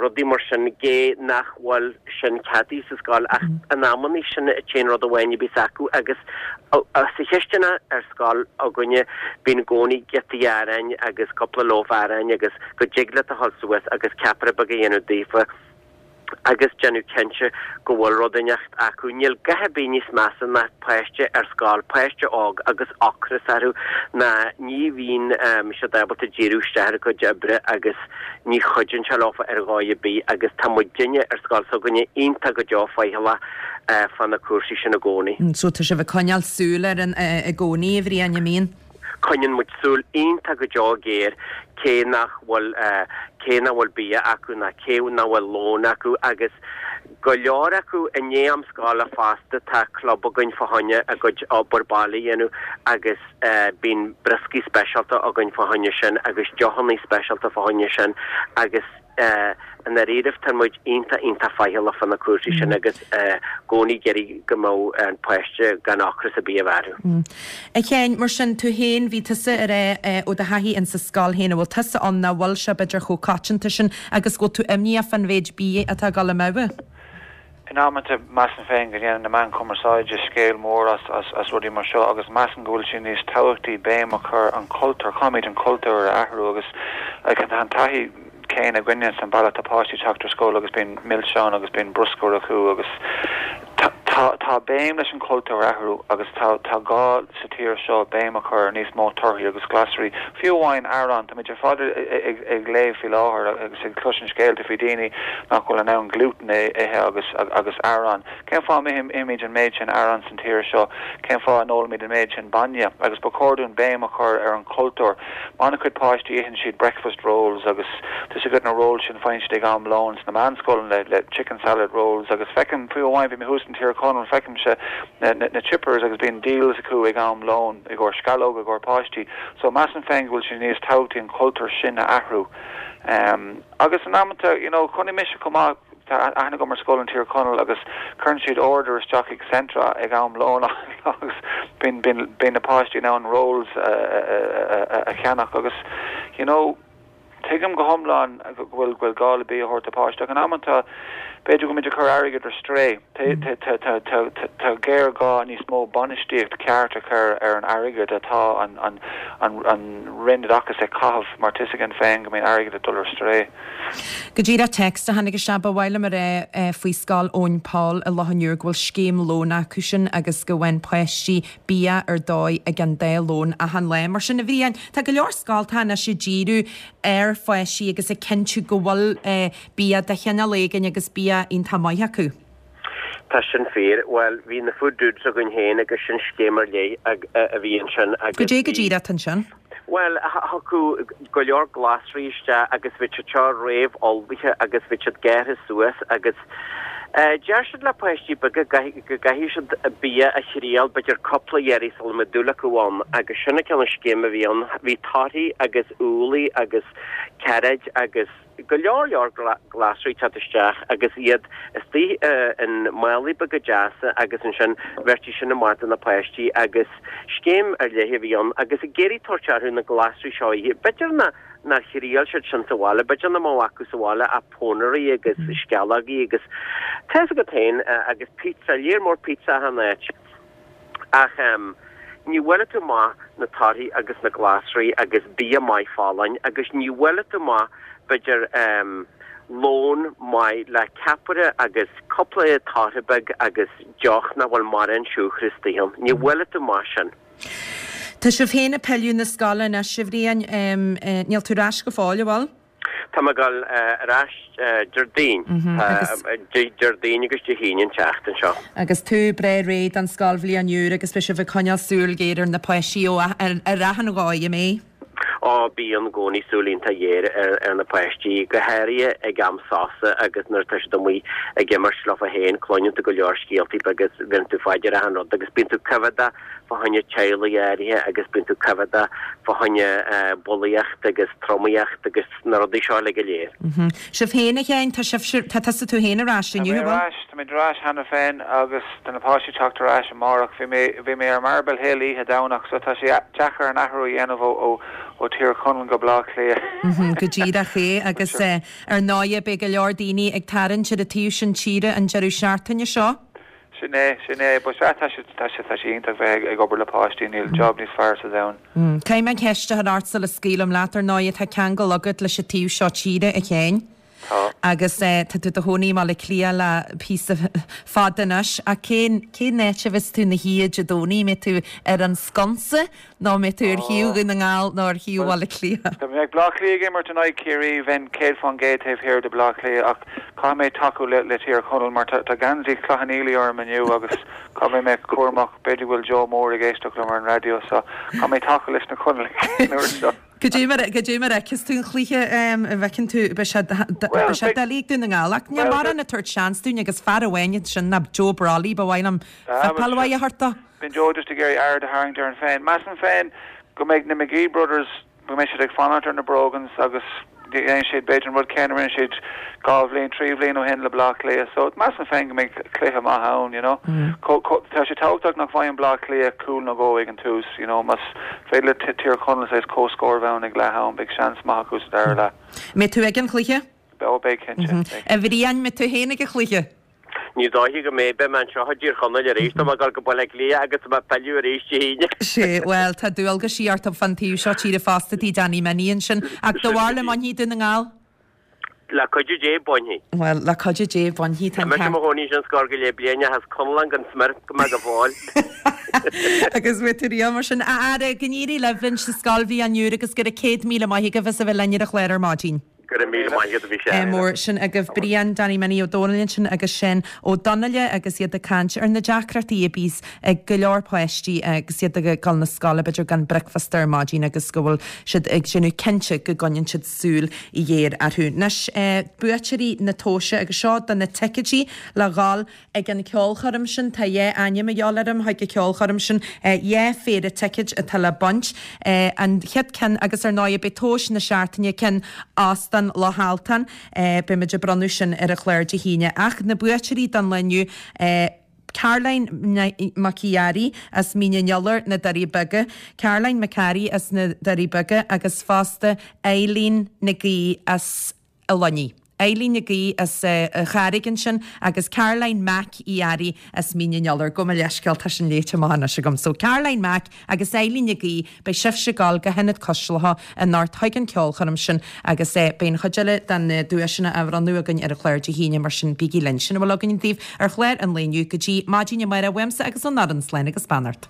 rudaí mar sin, gé nach bhfuil sin ceadaithe sa scoil ach in amannaí sin an t-aon rud amháin a bhíos acu agus sa chisteanach ar scoil againne bíonn i gcónaí giotaí aráin agus cúpla loaf aráin agus go dtig leat a dhul suas agus ceapaire beag a dhéanamh daofa agus déanamh cinnte go bhfuil rud inteacht acu. Níl a dhath ar bith níos measa ná páiste ar scoil, páiste óg agus ocras orthu ná ní bhíonn siad ábalta díriú isteach ar a gcuid oibre agus Ní chuidíonn sé leofa ar dhóigh ar bith agus tá muidinne ar scoil s'againne iontach go deo faichilleach fá na cúrsaí sin i gcónaí. So tá sibh ag coinneáil súil air i gcónaí, a Bhriain, an mbíonn? Coinníonn muid súil iontach go deo géar cé nach bhfuil, cé nach bhfuil bia acu ná cé nach bhfuil lón acu agus go leor acu i ndiaidh am scoile fosta tá club againn fá choinne a gcuid obair baile a dhéanamh agus Bíonn brioscaí speisialta againn fá choinne sin agus deochannaí speisialta fá choinne sin agus i ndáiríribh tá muid iontach iontach faichilleach fá na cúrsaí sin agus i gcónaí ag iarraidh go mbeadh an páiste gan ocras ar bith a bheith orthu. A Sheáin, mar sin, tú féin, bhí tusa ag rá ó do thaithí insa scoil féin, an bhfuil tusa ann nach bhfuil sé b'fhéidir chomh coitianta sin agus go bhfuil tú imníoch fán mhéid bia atá ag dul amú? In amanta, measaim féin go ndéanann na meáin chumarsáide scéal mór as rudaí mar seo agus measaim go bhfuil sé níos tabhachtaí béim a chur an cultúr, caithfimid an cultúr a athrú agus tá an taithí céanna againne san bealach tá páistí ag teacht ar scoil agus bíonn milseáin agus bíonn bruscar acu agus tá tá béim leis an cultúr a athrú agus tá tá gá sa tír seo béim a chur ar níos mó torthaí agus glasraí, fiú amháin arán, táimid ar fad ag ag léamh faoi láthair agus ag cloisint scéalta faoi daoine nach bhfuil in ann glútan a ithe agus agus arán. Cén fáth a n-ithimid an méid sin arán san tír seo? Cén fáth a n-ólaimid an méid sin bainne? Agus ba chóir dúinn béim a chur ar an chultúr. An-chuid páistí itheann siad breakfast rolls agus tá 's agat na rolls sin faigheann siad ag am lóin sna meánscoileanna le le chicken salad rolls agus feicim fiú amháin bhí mé thuas in Tír Chonaill feicimse na na na chippers agus bíonn deals acu ag am lóin i gcomhair sceallóga i gcomhair páistí. So measaim féin go bhfuil sé níos tabhachtaí an cultúr sin a athrú. Agus in amanta, you know, chonaic mise chomh maith, tá aithne agam ar scoil in Tír Chonaill agus cuireann siad order isteach ag Centra ag am lóin agus bíonn, bíonn, bíonn na páistí in ann rolls a cheannach agus, you know, tuigim go hiomlán go bhfuil, go bhfuil gá le bia a thabhairt do pháistí ach in amanta b'fhéidir go bhfuil muid ag cur airgead ar strae. Tá géarghá níos mó bainistíocht ceart a chur ar an airgead atá an Roinn Oideachais ag caitheamh mar tá 'fhios againn féin go mbíonn airgead ag dul ar strae. Go díreach text a tháinig isteach, ba mhaith liom a rá faoi Scoil Eoin Paul i Loch an Iúir go bhfuil scéim lóin acu sin agus go bhfaigheann páistí bia ar dóigh ag an dá lón achan lá. Mar sin a Bhriain, tá go leor scoltacha anois ag díriú ar pháistí agus ag cinntiú go bhfuil bia de chineál éigin agus bia iontach maith acu. Tá sin fíor. Bhuel, bhí na Food Dudes againn féin agus sin scéim ar leith a bhí ansin agus Goidé go díreach atá ansin? Bhuel, thiocfadh go leor glasraí isteach agus bhí siad seo réamh-ullmhaithe agus bhí siad gearrtha suas agus. Deir siad le páistí beaga go gcaithfidh siad bia a thriail b'fhéidir cúpla iarraidh sula mbeidh dúil acu ann agus sin an cineál scéim a bhí ann. Bhí torthaí agus úllaí agus cearáid agus go leor leor glasraí ag teacht isteach agus iad istigh in málaí beaga deasa agus ansin bheirtí sin amach do na páistí agus scéim ar leith a bhí ann agus ag iarraidh tabhairt orthu na glasraí seo a ithe. B'fhéidir nár thriail siad sin sa bhaile, b'fhéidir nach mbeadh acu sa bhaile ach pónairí agus sceallógaí agus tá fhios agat féin agus pizza, léar mór pizza achan áit. Ach ní bhuailfidh tú amach na torthaí agus na glasraí agus bia maith folláin agus ní bhuailfidh tú amach b'fhéidir lón maith le ceapaire agus cúpla tortha beag agus deoch nach bhfuil mórán siúcra istigh ann. Ní bhuailfidh tú amach sin. Tá sibh féin ag pilleadh na scoile anois, a Bhriain. Níl tú ar ais go fóill, an bhfuil? Tá mé ag dul ar ais Déardaoin. Déardaoin agus Dé hAoine an tseachtain seo. Agus tú breá réidh don scoilbhliain úr agus beidh sibh ag coinneáil súil ghéar ar na páistí ó ar achan dhóigh, an mbeidh? Ó, bíonn i gcónaí súil iontach ghéar ar na páistí, go háirithe ag am sosa agus nuair atá siad amuigh ag imirt leofa féin, cluineann tú go leor scéaltaí beaga agus bíonn tú fá dear achan rud agus bíonn tú coimhéadach fá choinne teaghlaigh áirithe agus bíonn tú coimhéadach fá choinne bulaíocht agus tromaíocht agus na rudaí seo uilig go léir. Sibh féin, a Sheáin, tá sibhse, tá tusa tú féin ar ais Tá inniu, mé an ar bhfuil? ais, tá mé ar ais cheana féin agus tá na páistí ag teacht ar ais amárach. Bhí mé, bhí mé ar Marble Hill oíche Domhnach so tá sé deacair an athrú a dhéanamh ó, ó, ó Tír Chonaill go Baile Átha Cliath. Go díreach é agus ar ndóighe beidh go leor daoine ag tarraingt ar an taobh sin tíre an deireadh seachtaine seo. Sin é, sin é. But sea, tá sé, tá sé, tá sé iontach bheith ag obair le páistí, níl job níos fearr sa domhan. Caithfidh mé ceist a chur ort sula scaoilim leat, ar ndóighe tá ceangal agat leis an taobh seo tíre, a Sheáin. Tá. Agus tá tú i do chónaí i mBaile Átha Cliath le píosa fada anois, ach cén, cén áit a bheas tú ina shuí Dé Domhnaigh? An mbeidh tú ar an sconsa Nó an mbeidh tú ar thaobh Dhún na nGall nó ar thaobh Bhaile Átha Cliath? Dá mbeadh Bleá Cliath ag imirt in aghaidh Chiarraí, bheinn 100% taobh thiar de Bleá Cliath ach caithfidh mé tacú le Tír Chonaill mar tá geansaí Chloich Cheann Fhaola orm inniu agus caithfidh mé bheith cúramach, b'fhéidir go bhfuil Joe Mór ag éisteacht liom ar an raidió so caithfidh mé tacú leis na Conallaigh an uair seo. Cad é mar, cad é mar a fheiceas tú an chluiche, an bhfeiceann tú, beidh sé, beidh sé doiligh ag Dún na nGall ach níl mórán ag tabhairt seans dúinn agus fear amháin ansin ná Joe Brolly, ba mhaith liom fuipeáil mhaith a thabhairt dó. Bíonn Joe just ag iarraidh aird a tharraingt air féin. Measaim féin go mbeidh na McGee Brothers, go mbeidh siad ag fanacht ar na Brogans agus déanfaidh siad b'fhéidir an rud céanna a rinne siad dhá bhliain, trí bhliain ó shin le Bleá Cliath. So measaim féin go mbeidh cluiche maith ann, you know. Tá sé tábhachtach nach bhfaigheann Bleá Cliath cúl nó dhó ag an tús, you know. Más féidir le Tír Chonaill saghas comhscór a bheith ann ag leath am, beidh seans maith acu sa dara leath. Mbeidh tú ag an chluiche? Beidh, cinnte. A Bhriain, mbeidh tú féin ag an chluiche? Ní dóiche go mbeidh, beidh mé anseo i dTír Chonaill arís, tá mé ag dul go Baile Átha Cliath agus tá mé ag pilleadh arís Dé hAoine. Sea, bhuel, tá dualgaisí ort fán taobh seo tíre fosta, tigh Danny Minnie ansin. Ach do bharúil an mbainfidh Dún na nGall? Le cuidiú Dé, bainfidh. Bhuel, le cuidiú Dé, bainfidh, tá an ceart. Tá mise i mo chónaí ansin scór go leith bliain ach is Conallach gan smior mé go fóill. Agus beidh tú riamh mar sin. A fheara, go n-éirí libh sa scoilbhliain úr agus go raibh 100,000 maith agaibh as a bheith linn ar an chlár ar maidin. Go raibh míle maith agat a Mhichelle. Mór sin agaibh Brian, Danny Minnie Ó Dónaill ansin agus Seán Ó Donnaile agus iad ag caint ar na deacrachtaí a bíos ag go leor páistí agus iad ag dul na scoile b'fhéidir gan bricfeasta ar maidin agus go bhfuil siad ag déanamh cinnte go gcoinníonn siad súil ghéar orthu. Anois buaiteoirí na tomhaise agus seo do na ticéidí le dhul Ag an cheolchoirm sin, tá dhá ainm a dhíobháil orm chuig an cheolchoirm sin, dhá phéire ticéid atá le baint. An chéad ceann, agus ar ndóigh beidh tomhais na seachtaine, ceann Óstán Loch Altan, beimid ag bronnadh sin ar an chlár Dé hAoine. Ach na buaiteoirí don lá inniu, Caroline Mac Fhearraigh as Mín an Iolair, na Doirí Beaga, Caroline McCarry as na Doirí Beaga agus fosta Eileen Nic Aoidh as. Luinnigh. Eileen Nic Aoidh as an Charraig ansin agus Caroline Mac Uí Fhearraigh as Mín an Iolair. Gabh mo leithscéal, tá sin léite amach anois agam. So Caroline Mac agus Eileen Nic Aoidh, beidh sibhse ag dul go hIonad Cois Locha anocht chuig an ceolchoirm sin agus beidh an chuid eile de na duaiseanna á bhronnadh againn ar an chlár Dé hAoine mar sin bígí linn. Sin a bhfuil againn daoibh ar chlár an lae inniu go dtí maidin amárach uaimse agus ón fhoireann, slán agus beannacht.